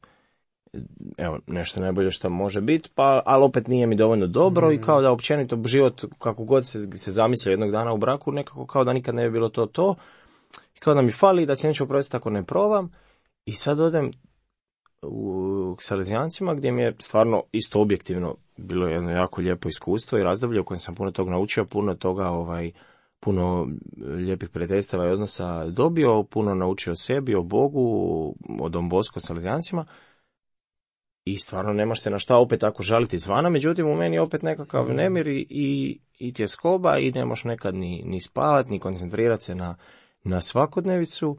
nešto najbolje što može biti, ali opet nije mi dovoljno dobro i kao da općenito život kako god se zamislio jednog dana u braku nekako kao da nikad ne bi bilo to i kao da mi fali da se neću oprostiti ako ne probam i sad odem k salezijancima gdje mi je stvarno isto objektivno bilo jedno jako lijepo iskustvo i razdoblje u kojem sam puno toga naučio, puno toga puno lijepih prijateljstava i odnosa dobio, puno naučio o sebi, o Bogu, o Don Bosco salezijancima i stvarno nemaš te na šta opet tako žaliti izvana, međutim u meni je opet nekakav nemir i tjeskoba i ne možeš nekad ni spavati, ni koncentrirati se na svakodnevicu.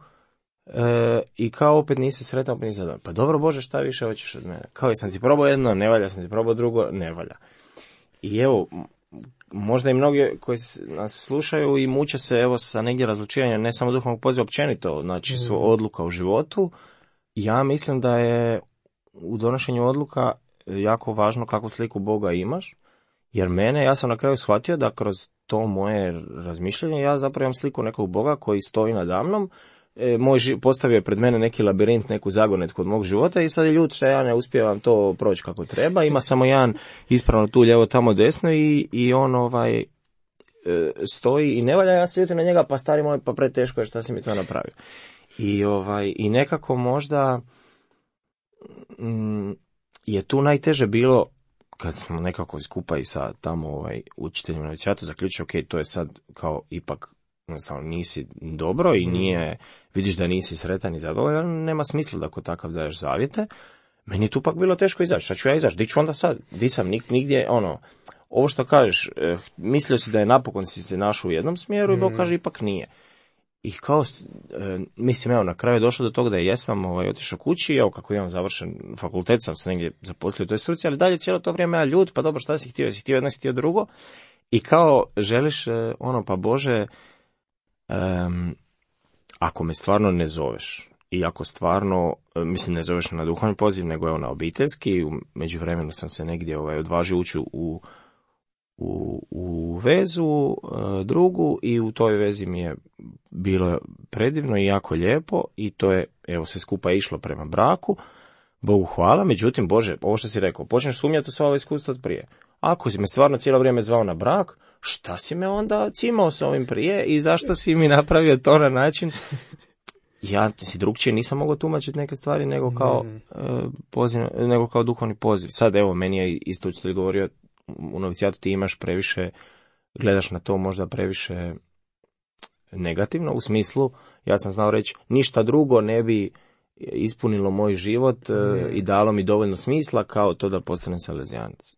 I kao opet nisi sretan, opet nisi zadovoljan. Pa dobro Bože, šta više hoćeš od mene? Kao sam ti probao jedno, ne valja, sam ti probao drugo, ne valja. I evo, možda i mnogi koji nas slušaju i muče se evo sa negdje razlučivanja ne samo duhovnog poziva općenito, znači su odluka u životu. Ja mislim da je u donošenju odluka jako važno kakvu sliku Boga imaš, jer ja sam na kraju shvatio da kroz to moje razmišljanje ja zapravo imam sliku nekog Boga koji stoji nadamnom, postavio je pred mene neki labirint, neku zagonetku od mog života i sad je ljut što ja ne uspijevam to proći kako treba, ima samo jedan ispravno tu lijevo tamo desno i on stoji i ne valja, ja se ljutim na njega, pa stari moj, pa preteško je šta si mi to napravio. I nekako možda je tu najteže bilo kad smo nekako skupa i sa tamo učiteljima na novicijatu zaključili, ok, to je sad kao ipak nisi dobro i nije, vidiš da nisi sretan i zadovoljan, nema smisla da kod takav daješ zavjete. Meni je tu pak bilo teško izaći, šta ću ja izaći, di ću onda sad, di sam nigdje, ovo što kažeš, mislio si da je napokon si se našao u jednom smjeru i Bog kaže ipak nije. I kao, mislim, na kraju je došlo do toga da jesam otišao kući, evo kako imam završen fakultet, sam se negdje zaposlio u toj struci, ali dalje cijelo to vrijeme ja ljud, pa dobro, šta si htio, jedno, si htio drugo, i kao želiš, pa Bože, ako me stvarno ne zoveš, i ako stvarno, mislim, ne zoveš na duhovni poziv, nego je na obiteljski, u međuvremenu sam se negdje odvažio ući u vezu drugu i u toj vezi mi je bilo predivno i jako lijepo i to je, evo, sve skupa išlo prema braku, Bogu hvala, međutim, Bože, ovo što si rekao, počneš sumnjati u sva ova iskustva od prije. Ako si me stvarno cijelo vrijeme zvao na brak, šta si me onda cimao s ovim prije i zašto si mi napravio to na način? Ja si drugčije nisam mogao tumačiti neke stvari nego kao poziv, nego kao duhovni poziv. Sad evo, meni je isto učitelj govorio, u novicijatu ti imaš previše, gledaš na to možda previše negativno, u smislu, ja sam znao reći, ništa drugo ne bi ispunilo moj život i dalo mi dovoljno smisla kao to da postanem salezijanac.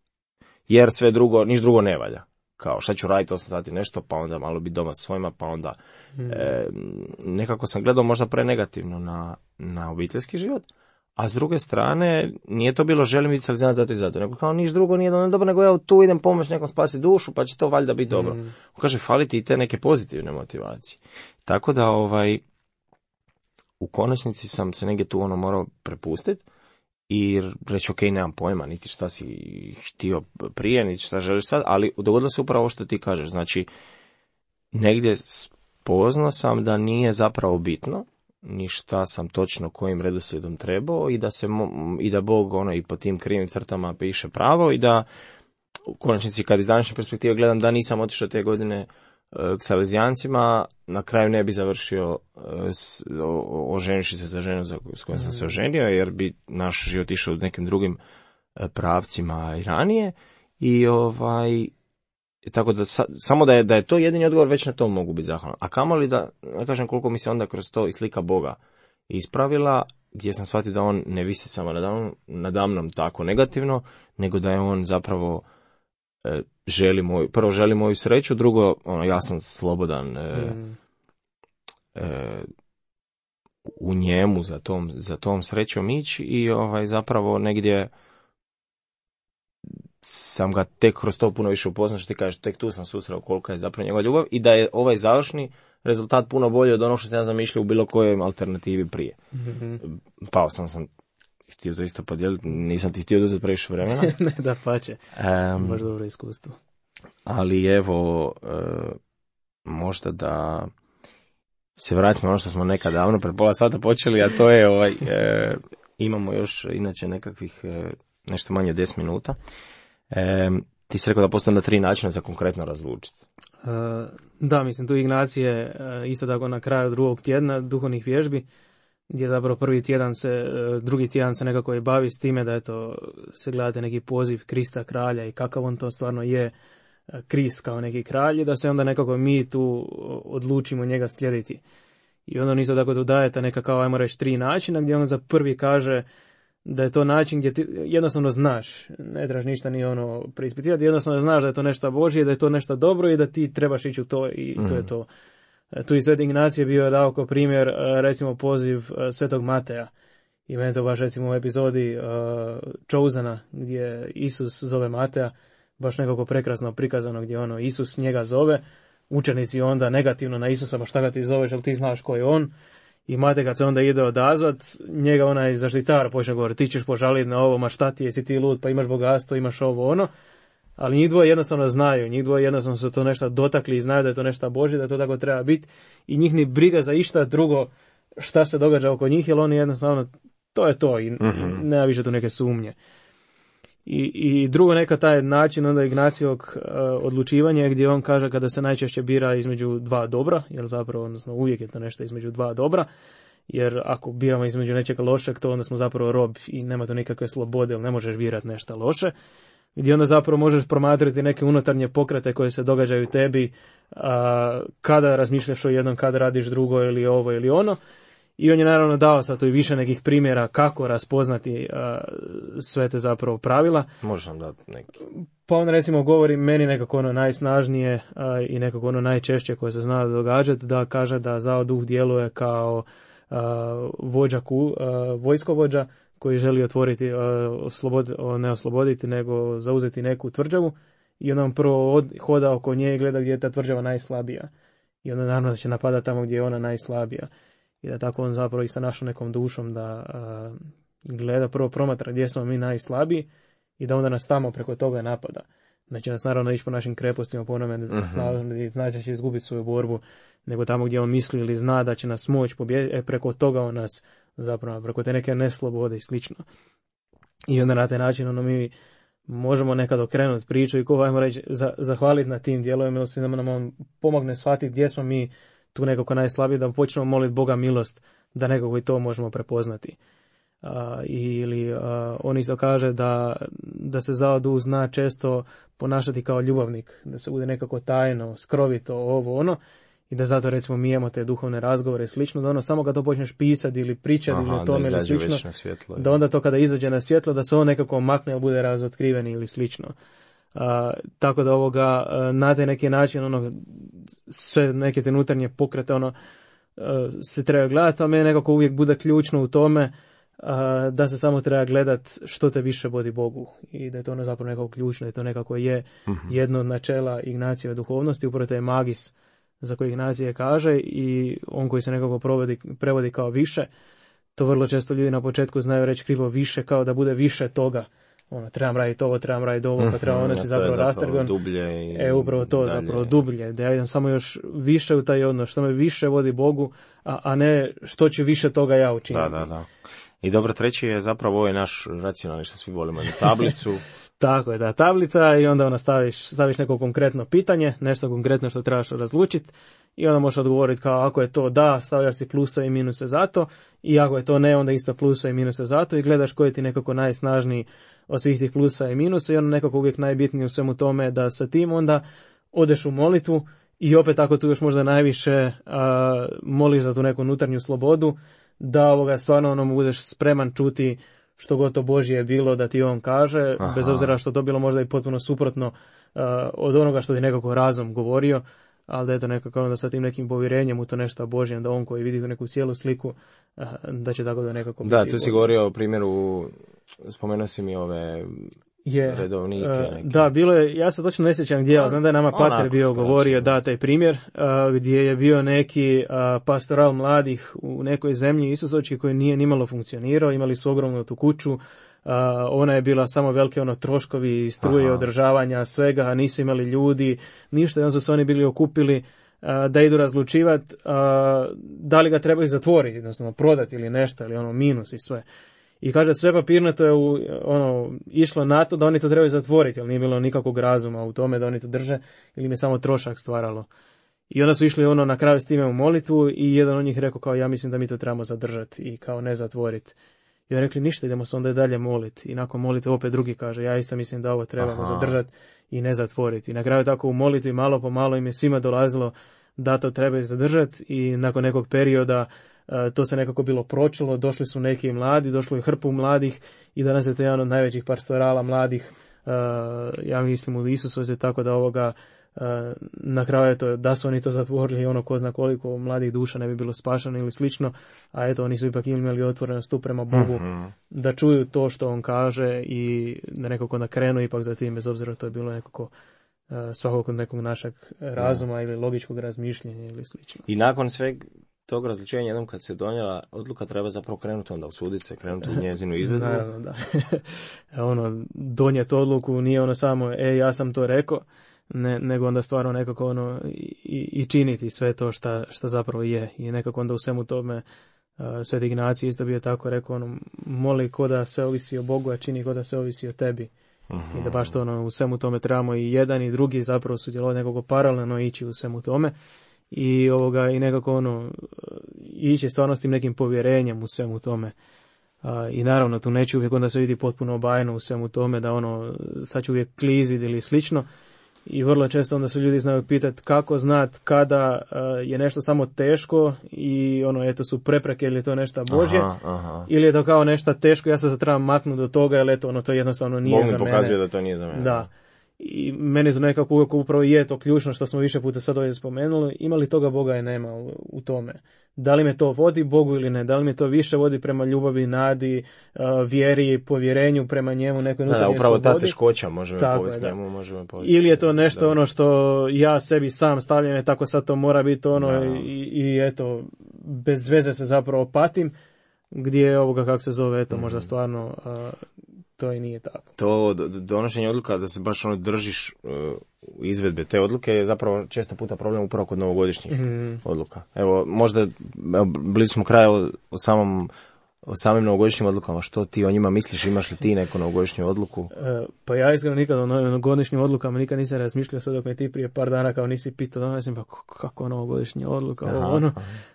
Jer sve drugo, niš drugo ne valja. Kao šta ću raditi 8 sati nešto, pa onda malo biti doma sa svojima, pa onda nekako sam gledao možda prenegativno na obiteljski život, a s druge strane nije to bilo želim biti salezijanac zato i zato, nego kao niš drugo nije dobro, nego ja tu idem pomoći nekom spasiti dušu, pa će to valjda biti dobro. Kaže, fali ti i te neke pozitivne motivacije. Tako da u konačnici sam se negdje tu morao prepustiti i reći, ok, nemam pojma, niti šta si htio prije, niti šta želiš sad, ali dogodilo se upravo što ti kažeš. Znači, negdje spoznao sam da nije zapravo bitno, ni šta sam točno kojim redoslijedom trebao i da Bog i po tim krivim crtama piše pravo i da u konačnici kad iz današnje perspektive gledam da nisam otišao te godine k salezijancima, na kraju ne bi završio oženivši se za ženu s kojom sam se oženio, jer bi naš život išao u nekim drugim pravcima i ranije. I tako da samo da je to jedini odgovor, već na to mogu biti zahvalan. A kamoli da, ne kažem koliko mi se onda kroz to i slika Boga ispravila, gdje sam shvatio da on ne visi samo nadamnom tako negativno, nego da je on zapravo želi moju sreću, drugo, ja sam slobodan u njemu za tom srećom ići i zapravo negdje sam ga tek kroz to puno više upoznao, što ti kažeš, tek tu sam susreo kolika je zapravo njegova ljubav i da je ovaj završni rezultat puno bolji od onog što sam ja zamišljao u bilo kojoj alternativi prije. Pao sam htio to isto podijeliti, nisam ti htio uzeti previše vremena. Ne, da pače, baš dobro iskustvo. Ali evo, možda da se vratimo ono što smo nekad davno, pred pola sata počeli, a to je, imamo još inače nekakvih nešto manje 10 minuta. Ti si rekao da postoje 3 načina za konkretno razlučiti. Da, mislim, tu Ignacije isto tako na kraju 2. tjedna duhovnih vježbi, gdje zapravo drugi tjedan se nekako je bavi s time da se gledate neki poziv Krista kralja i kakav on to stvarno je, Krist kao neki kralj, da se onda nekako mi tu odlučimo njega slijediti. I onda on isto tako tu daje ta neka kao, ajmo reći, 3 načina, gdje on za prvi kaže da je to način gdje ti jednostavno znaš, ne trebaš ništa ni preispitivati, jednostavno znaš da je to nešto Božje, da je to nešto dobro i da ti trebaš ići u to i to je to. Tu i Sveti Ignacije bio je dao kao primjer, recimo, poziv Svetog Mateja. I meni to baš, recimo, u epizodi Chosena, gdje Isus zove Mateja, baš nekako prekrasno prikazano gdje ono Isus njega zove, učenici onda negativno na Isusa, pa šta ga ti zoveš, jel ti znaš ko je on? I Matej kad se onda ide odazvat, njega onaj zaštitar počne govoriti, ti ćeš požaliti na ovo, ma šta ti, jesi ti lud, pa imaš bogatstvo, imaš ovo ono. Ali njih dvoje jednostavno znaju, njih dvoje jednostavno su to nešto dotakli i znaju da je to nešto Božje, da to tako treba biti i njih ni briga za išta drugo šta se događa oko njih, jer oni jednostavno, to je to i nema više tu neke sumnje. I drugo neka taj način onda Ignacijevog odlučivanja gdje on kaže kada se najčešće bira između dva dobra, jer zapravo odnosno uvijek je to nešto između dva dobra, jer ako biramo između nečega lošeg, to onda smo zapravo rob i nema to nikakve slobode, jer ne možeš birati nešto loše, gdje onda zapravo možeš promatrati neke unutarnje pokrete koje se događaju tebi kada razmišljaš o jednom, kada radiš drugo ili ovo ili ono. I on je naravno dao sad tu i više nekih primjera kako raspoznati sve te zapravo pravila. Možeš nam dati neki. Pa on recimo govori meni nekako ono najsnažnije i nekako ono najčešće koje se zna događati, da kaže da zao duh djeluje kao vojskovođa koji želi otvoriti, ne osloboditi, nego zauzeti neku tvrđavu i onda on prvo hoda oko nje i gleda gdje je ta tvrđava najslabija. I onda naravno da će napadati tamo gdje je ona najslabija. I da tako on zapravo i sa našom nekom dušom da gleda, prvo promatra gdje smo mi najslabiji i da onda nas tamo preko toga napada. Neće nas naravno ići po našim krepostima, po onome znači će izgubiti svoju borbu, nego tamo gdje on misli ili zna da će nas moći pobijediti, preko toga on nas zapravo, preko te neke neslobode i slično. I onda na taj način ono mi možemo nekad okrenuti priču i ko ajmo reći zahvaliti na tim dijelovima, ili da nam on pomogne shvatiti gdje smo mi tu nekako najslabiji, da počnemo moliti Boga milost, da nekako i to možemo prepoznati. Ili on isto kaže da se zao duh zna često ponašati kao ljubavnik, da se bude nekako tajno, skrovito, ovo ono, i da zato recimo mi imamo te duhovne razgovore i slično, da ono samo kad to počneš pisati ili pričati ili o tome ili slično, da onda to kada izađe na svjetlo, da se on nekako makne ili bude razotkriven ili slično. Tako da ovoga na taj neki način ono sve neke te unutarnje pokrete ono se treba gledati, a meni nekako uvijek bude ključno u tome da se samo treba gledati što te više vodi Bogu i da je to ono zapravo nekako ključno, da je to nekako je jedno od načela Ignacijeve duhovnosti, upravo to je magis za koji Ignacije kaže i on koji se nekako prevodi kao više, to vrlo često ljudi na početku znaju reći krivo više, kao da bude više toga. Ono, trebam raditi ovo, trebam raditi ovo, pa trebam odnosi zapravo rastrgon. Upravo to, dalje. Zapravo dublje, da ja idem samo još više u taj odnos, što me više vodi Bogu, a ne što ću više toga ja učiniti. Da. I dobro, treći je zapravo ovaj naš racionalni, što svi volimo, na tablicu. Tako je, da, tablica i onda ona staviš neko konkretno pitanje, nešto konkretno što trebaš razlučiti i onda možeš odgovoriti kao ako je to da, stavljaš si plusa i minuse za to i ako je to ne, onda isto plusa i minuse za to i gledaš koji ti nekako najsnažniji od svih tih plusa i minusa i ono nekako uvijek najbitnije u svemu tome da sa tim onda odeš u molitvu i opet ako tu još možda najviše moliš za tu neku unutarnju slobodu, da stvarno ono budeš spreman čuti što god to Božje je bilo da ti on kaže, bez obzira što to bilo možda i potpuno suprotno od onoga što ti nekako razum govorio, ali da je to nekako onda sa tim nekim povjerenjem u to nešto Božje, da on koji vidi tu neku cijelu sliku, da će tako da nekako biti. Da, tu si govorio o primjeru, spomenuo si mi ove redovnike. Da, bilo je, ja se točno ne sjećam gdje, ali znam da je nama pater bio govorio, da, taj primjer, gdje je bio neki pastoral mladih u nekoj zemlji Isusovčki koji nije nimalo funkcionirao, imali su ogromnu tu kuću, ona je bila samo velike troškovi, struje, održavanja, svega, a nisu imali ljudi, ništa, jedan su se oni bili okupili da idu razlučivati da li ga trebaju zatvoriti, odnosno prodati ili nešto, ili minus i sve. I kaže, sve papirnato je išlo na to da oni to trebaju zatvoriti, ali nije bilo nikakvog razuma u tome da oni to drže, ili im je samo trošak stvaralo. I onda su išli na kraju s time u molitvu i jedan od njih rekao kao ja mislim da mi to trebamo zadržati i kao ne zatvoriti. I oni rekli ništa, idemo se onda dalje moliti. I nakon molitve opet drugi kaže ja isto mislim da ovo trebamo zadržati i ne zatvoriti. I na kraju tako u molitvi malo po malo im je svima dolazilo da to trebaju zadržati i nakon nekog perioda to se nekako bilo pročilo, došli su neki mladi, došlo je hrpu mladih i danas je to jedan od najvećih pastorala mladih, ja mislim u Isusovu, tako da na kraju eto, da su oni to zatvorili, ono ko zna koliko mladih duša ne bi bilo spašeno ili slično, a eto oni su ipak imali otvorenost tu prema Bogu, da čuju to što on kaže i da nekako nakrenu ipak za tim, bez obzira to je bilo nekako svakog nekog našeg razuma ili logičkog razmišljenja ili slično. I nakon sveg tog različenja, jednom kad se donijela odluka, treba zapravo krenuti onda usuditi se, krenuti u njezinu izvedbu. Naravno, da. Donijeti odluku nije ono samo, ja sam to rekao, nego onda stvarno nekako i činiti sve to šta zapravo je. I nekako onda u svemu tome Sveti Ignacij isto bio tako rekao, moli ko da sve ovisi o Bogu, a čini ko da sve ovisi o tebi. I da baš to u svemu tome trebamo i jedan i drugi zapravo sudjelovati, nekako paralelno ići u svemu tome. I nekako ići stvarno s tim nekim povjerenjem u svemu tome. I naravno tu neće uvijek onda se vidi potpuno obajeno u svemu tome, da sad će uvijek kliziti ili slično. I vrlo često onda se ljudi znaju pitati kako znat kada je nešto samo teško i eto su prepreke ili je to nešto Božje, ili je to kao nešto teško, ja se sad trebam maknuti do toga, jer eto to jednostavno nije za mene. Bog mi pokazuje da to nije za mene. Da. I meni to nekako uvijek upravo je to ključno što smo više puta sad ovdje spomenuli, ima li toga Boga i nema u tome. Da li me to vodi Bogu ili ne, da li me to više vodi prema ljubavi, nadi, vjeri, povjerenju prema njemu, nekoj unutarnjoj slobodi. Upravo ta teškoća može me povesti njemu, može me povesti. Ili je to nešto što ja sebi sam stavljam, tako sad to mora biti i eto, bez veze se zapravo patim, gdje je kako se zove, eto, možda stvarno to i nije tako. To donošenje odluka da se baš držiš izvedbe te odluke je zapravo često puta problem upravo kod novogodišnjih odluka. Evo, možda blizu smo kraja o samim novogodišnjim odlukama. Što ti o njima misliš? Imaš li ti neku novogodišnju odluku? Pa ja iskreno nikad o novogodišnjim odlukama nikad nisam razmišljao, sve dok me ti prije par dana kao nisi pitao, mislim pa kako novogodišnja odluka,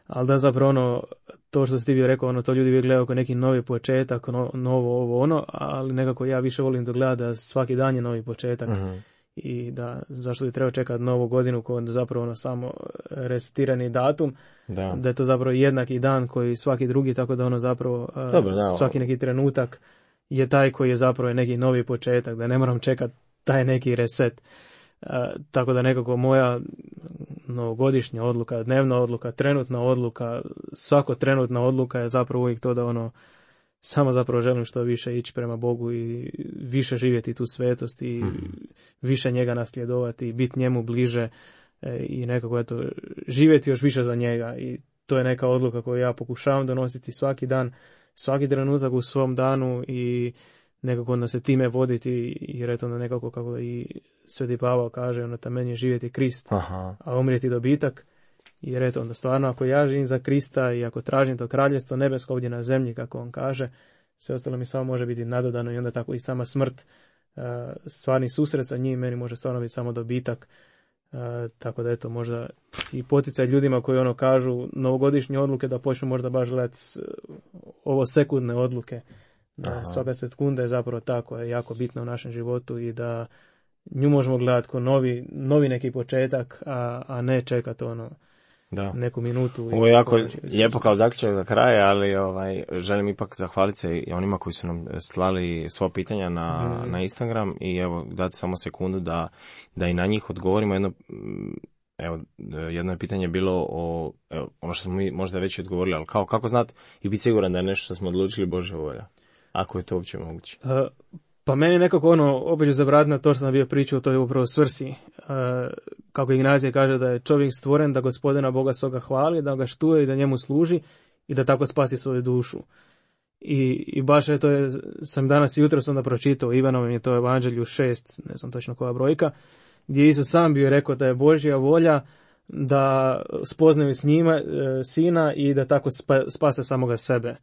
ali da zapravo to što si ti bio rekao, to ljudi uvijek gledaju kao neki novi početak, novo ali nekako ja više volim da gledam da svaki dan je novi početak. I da zašto bi trebao čekati novu godinu kod zapravo samo resetirani datum, da je to zapravo jednaki dan koji svaki drugi, tako da zapravo svaki neki trenutak je taj koji je zapravo neki novi početak, da ne moram čekati taj neki reset. Tako da nekako moja novogodišnja odluka, dnevna odluka, trenutna odluka, svako trenutna odluka je zapravo uvijek to da samo zapravo želim što više ići prema Bogu i više živjeti tu svetost i više njega nasljedovati i biti njemu bliže i nekako živjeti još više za njega. I to je neka odluka koju ja pokušavam donositi svaki dan, svaki trenutak u svom danu i nekako onda se time voditi, jer eto onda nekako kako i Sveti Pavao kaže, meni je živjeti Krist, a umrijeti dobitak. Jer eto onda stvarno ako ja živim za Krista i ako tražim to kraljevstvo nebesko ovdje na zemlji, kako on kaže, sve ostalo mi samo može biti nadodano i onda tako i sama smrt, stvarni susret sa njim meni može stvarno biti samo dobitak. Tako da eto možda i poticaj ljudima koji kažu novogodišnje odluke da počnu možda baš gledati ovo sekundne odluke. Svaka sekunda je zapravo tako, je jako bitna u našem životu i da nju možemo gledati kao novi neki početak, a ne čekati neku minutu. Ovo je jako lijepo kao zaključak za kraj, ali želim ipak zahvaliti se i onima koji su nam slali sva pitanja na Instagram i evo dati samo sekundu da i na njih odgovorimo. Jedno je pitanje bilo ono što smo mi možda već odgovorili, ali kako znati i biti siguran da je nešto što smo odlučili Božja volja, ako je to uopće moguće. Pa meni nekako opet ću zavratiti na to što sam bio pričao, to je upravo svrsi. Kako Ignacij kaže da je čovjek stvoren da Gospodina Boga svoga hvali, da ga štuje i da njemu služi i da tako spasi svoju dušu. I baš sam danas jutro onda pročitao Ivanovom je to Evanđelju 6, ne znam točno koja brojka, gdje Isus sam bio rekao da je Božja volja da spoznaju s njima sina i da tako spase samoga sebe.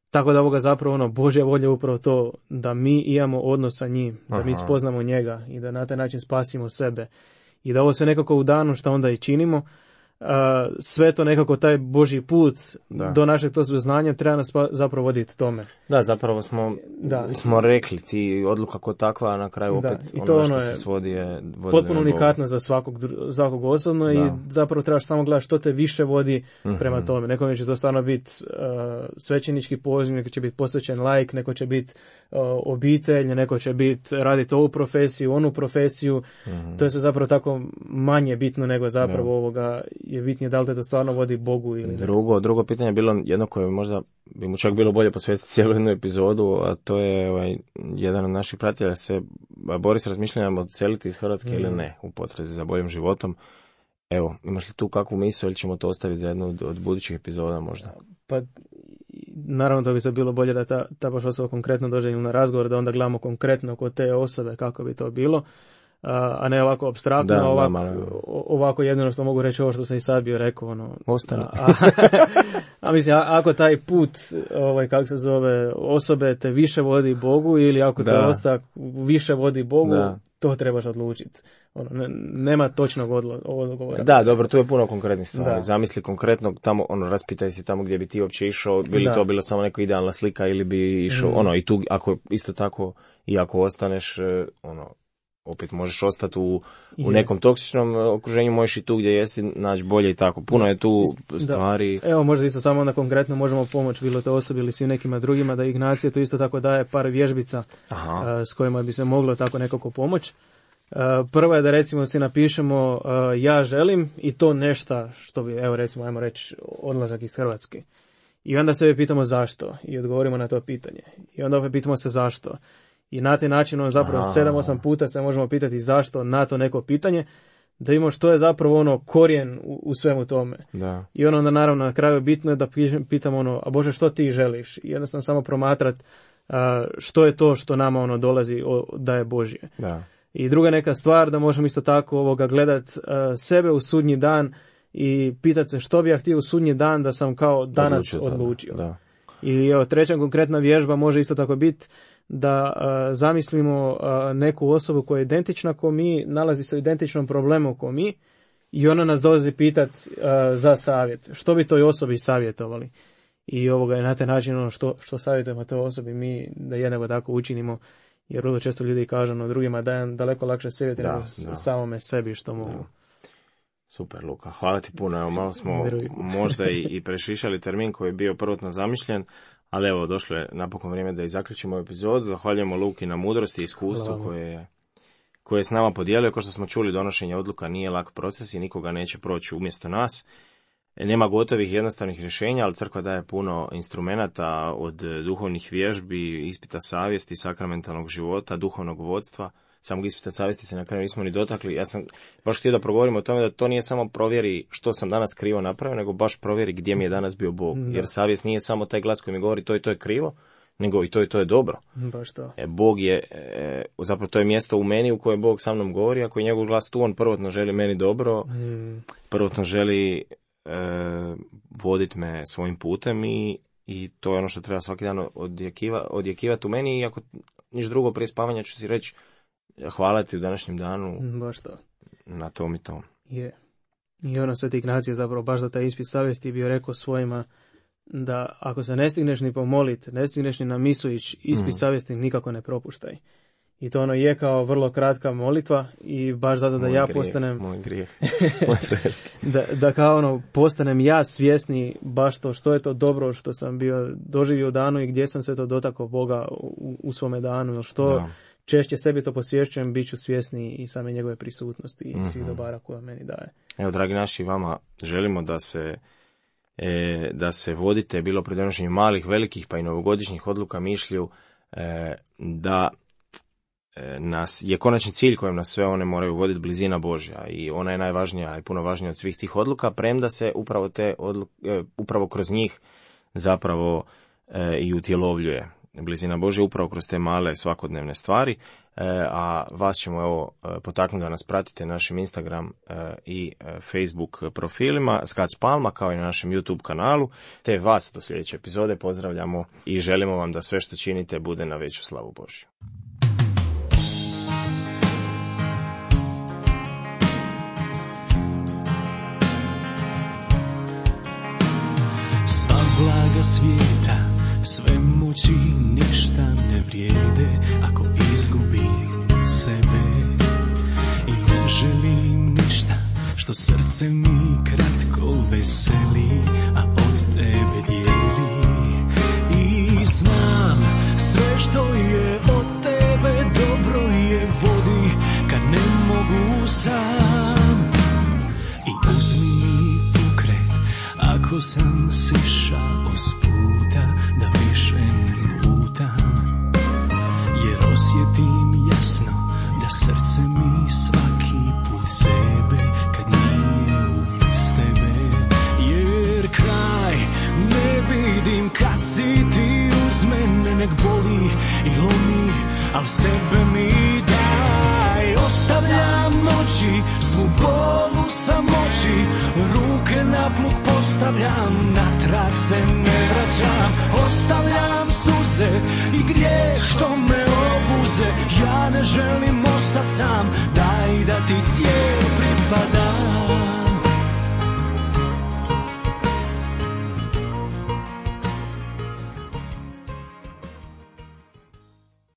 Tako da ovoga zapravo Božja volja je upravo to da mi imamo odnos sa njim, da mi spoznamo njega i da na taj način spasimo sebe. I da ovo sve nekako u danu što onda i činimo, sve to nekako taj Božji put do našeg to znanja treba nas zapravo voditi tome. Da, zapravo smo rekli ti odluka kao takva, na kraju opet ono što se svodi je potpuno unikatno za svakog osobno i zapravo trebaš samo gledati što te više vodi prema tome. Nekome će to stvarno biti svećenički poziv, neko će biti posvećen laik, neko će biti obitelj, neko će biti raditi ovu profesiju, onu profesiju. To je sve zapravo tako manje bitno nego zapravo ovoga je bitnije da li te to stvarno vodi Bogu ili ne. Drugo pitanje je bilo jedno koje možda bi mu čak bilo bolje posvetiti cijelu jednu epizodu, a to je jedan od naših pratitelja se bori s razmišljanjem odseliti iz Hrvatske ili ne u potrazi za boljim životom. Evo, imaš li tu kakvu misao ili ćemo to ostaviti za jednu od budućih epizoda možda? Pa, naravno to bi se bilo bolje da ta baš osoba konkretno dođe na razgovor, da onda gledamo konkretno kod te osobe kako bi to bilo, a ne ovako apstraktno, ovako jedino što mogu reći ovo što sam i sad bio rekao. Ostane. A mislim, ako taj put, kako se zove, osobe te više vodi Bogu ili ako te ostak više vodi Bogu, to trebaš odlučiti. Nema točnog odgovora. Da, dobro, tu je puno konkretnih stvari. Zamisli konkretno tamo, raspitaj se tamo gdje bi ti uopće išao, bi li to bila samo neka idealna slika ili bi išao, i tu, ako isto tako, i ako ostaneš, opet možeš ostati u nekom toksičnom okruženju, možeš i tu gdje jesi naći bolje i tako. Puno je tu stvari. Evo, možda isto samo onda konkretno možemo pomoći bilo te osobi ili svim nekima drugima, da Ignacije to isto tako daje par vježbica s kojima bi se moglo tako nekako pomoći. Prva je da recimo si napišemo ja želim i to nešto što bi, evo recimo, ajmo reći odlazak iz Hrvatske. I onda se pitamo zašto i odgovorimo na to pitanje. I onda opet pitamo se zašto. I na taj način zapravo 7-8 puta se možemo pitati zašto na to neko pitanje, da imamo što je zapravo korijen u svemu tome. Da. I onda naravno na kraju bitno je da pitamo a Bože što ti želiš? I jednostavno samo promatrat što je to što nama dolazi da je Božje. Da. I druga neka stvar da možemo isto tako gledat sebe u sudnji dan i pitati se što bi ja htio u sudnji dan da sam kao danas odlučio. Da. I treća konkretna vježba može isto tako biti da zamislimo neku osobu koja je identična ko mi, nalazi se u identičnom problemu ko mi i ona nas dolazi pitati za savjet. Što bi toj osobi savjetovali? I na taj način što savjetujemo toj osobi mi da jednako tako učinimo, jer vrlo često ljudi kažu drugima dajem daleko lakše savjeti nego samome sebi što mogu. Da. Super, Luka, hvala ti puno. Evo, malo smo možda i prešišali termin koji je bio prvotno zamišljen, ali evo, došlo je napokon vrijeme da i zaključimo epizodu. Zahvaljujemo Luki na mudrosti i iskustvu koje je s nama podijelio. Kao što smo čuli, donošenje odluka nije lak proces i nikoga neće proći umjesto nas. Nema gotovih jednostavnih rješenja, ali crkva daje puno instrumenata od duhovnih vježbi, ispita savjesti, sakramentalnog života, duhovnog vodstva. Samog ispita savjesti se na kraju nismo ni dotakli. Ja sam baš htio da progovorim o tome da to nije samo provjeri što sam danas krivo napravio, nego baš provjeri gdje mi je danas bio Bog. Da. Jer savjest nije samo taj glas koji mi govori to je krivo, nego i to je dobro. Baš to. Bog je, zapravo to je mjesto u meni u kojem Bog sa mnom govori, ako je njegov glas tu, on prvotno želi meni dobro, prvotno želi voditi me svojim putem i to je ono što treba svaki dan odjekivati u meni i ako niš drugo prije spavanja ću si reći hvala ti u današnjem danu baš to. Na tom i tom. Je. I Sveti Ignacije zapravo baš za taj ispit savjesti bio rekao svojima da ako se ne stigneš ni pomolit, ne stigneš ni na misu ići, ispit savjesti nikako ne propuštaj. I to je kao vrlo kratka molitva i baš zato da postanem... Moj grijeh. da kao postanem ja svjesni baš to što je to dobro što sam bio doživio u danu i gdje sam sve to dotakao Boga u svome danu. Što češće sebi to posvješćujem, bit ću svjesni i same njegove prisutnosti i svih dobara koje meni daje. Evo, dragi naši, vama želimo da se vodite bilo pri donošenju malih, velikih pa i novogodišnjih odluka mišlju da nas je konačni cilj kojem nas sve one moraju voditi blizina Božja i ona je najvažnija i puno važnija od svih tih odluka, premda se upravo te odluke, upravo kroz njih zapravo i utjelovljuje blizina Božja upravo kroz te male svakodnevne stvari, a vas ćemo potaknuti da nas pratite na našem Instagram i Facebook profilima Skac Palma kao i na našem YouTube kanalu, te vas do sljedeće epizode pozdravljamo i želimo vam da sve što činite bude na veću slavu Božju. svijeta, sve moći ništa ne vrijede ako izgubim sebe. I ne želim ništa što srce mi kratko veseli, a od tebe dijeli. I znam sve što je od tebe dobro je vodi kad ne mogu sam. I uzmi mi pokret ako sam sišao s puta, da više ne lutam, jer osjetim jasno da srce mi svaki put sebe kad nije uz tebe. Jer kraj ne vidim kad si ti uz mene, nek boli i lomi, al sebe mi daj. Ostavljam noći, svu bolu samoći, ruke na plug postavljam, natrag se ne vraćam. Ostavljam suze i grijeh što me obuze, ja ne želim ostat sam, daj da ti cijel pripadam.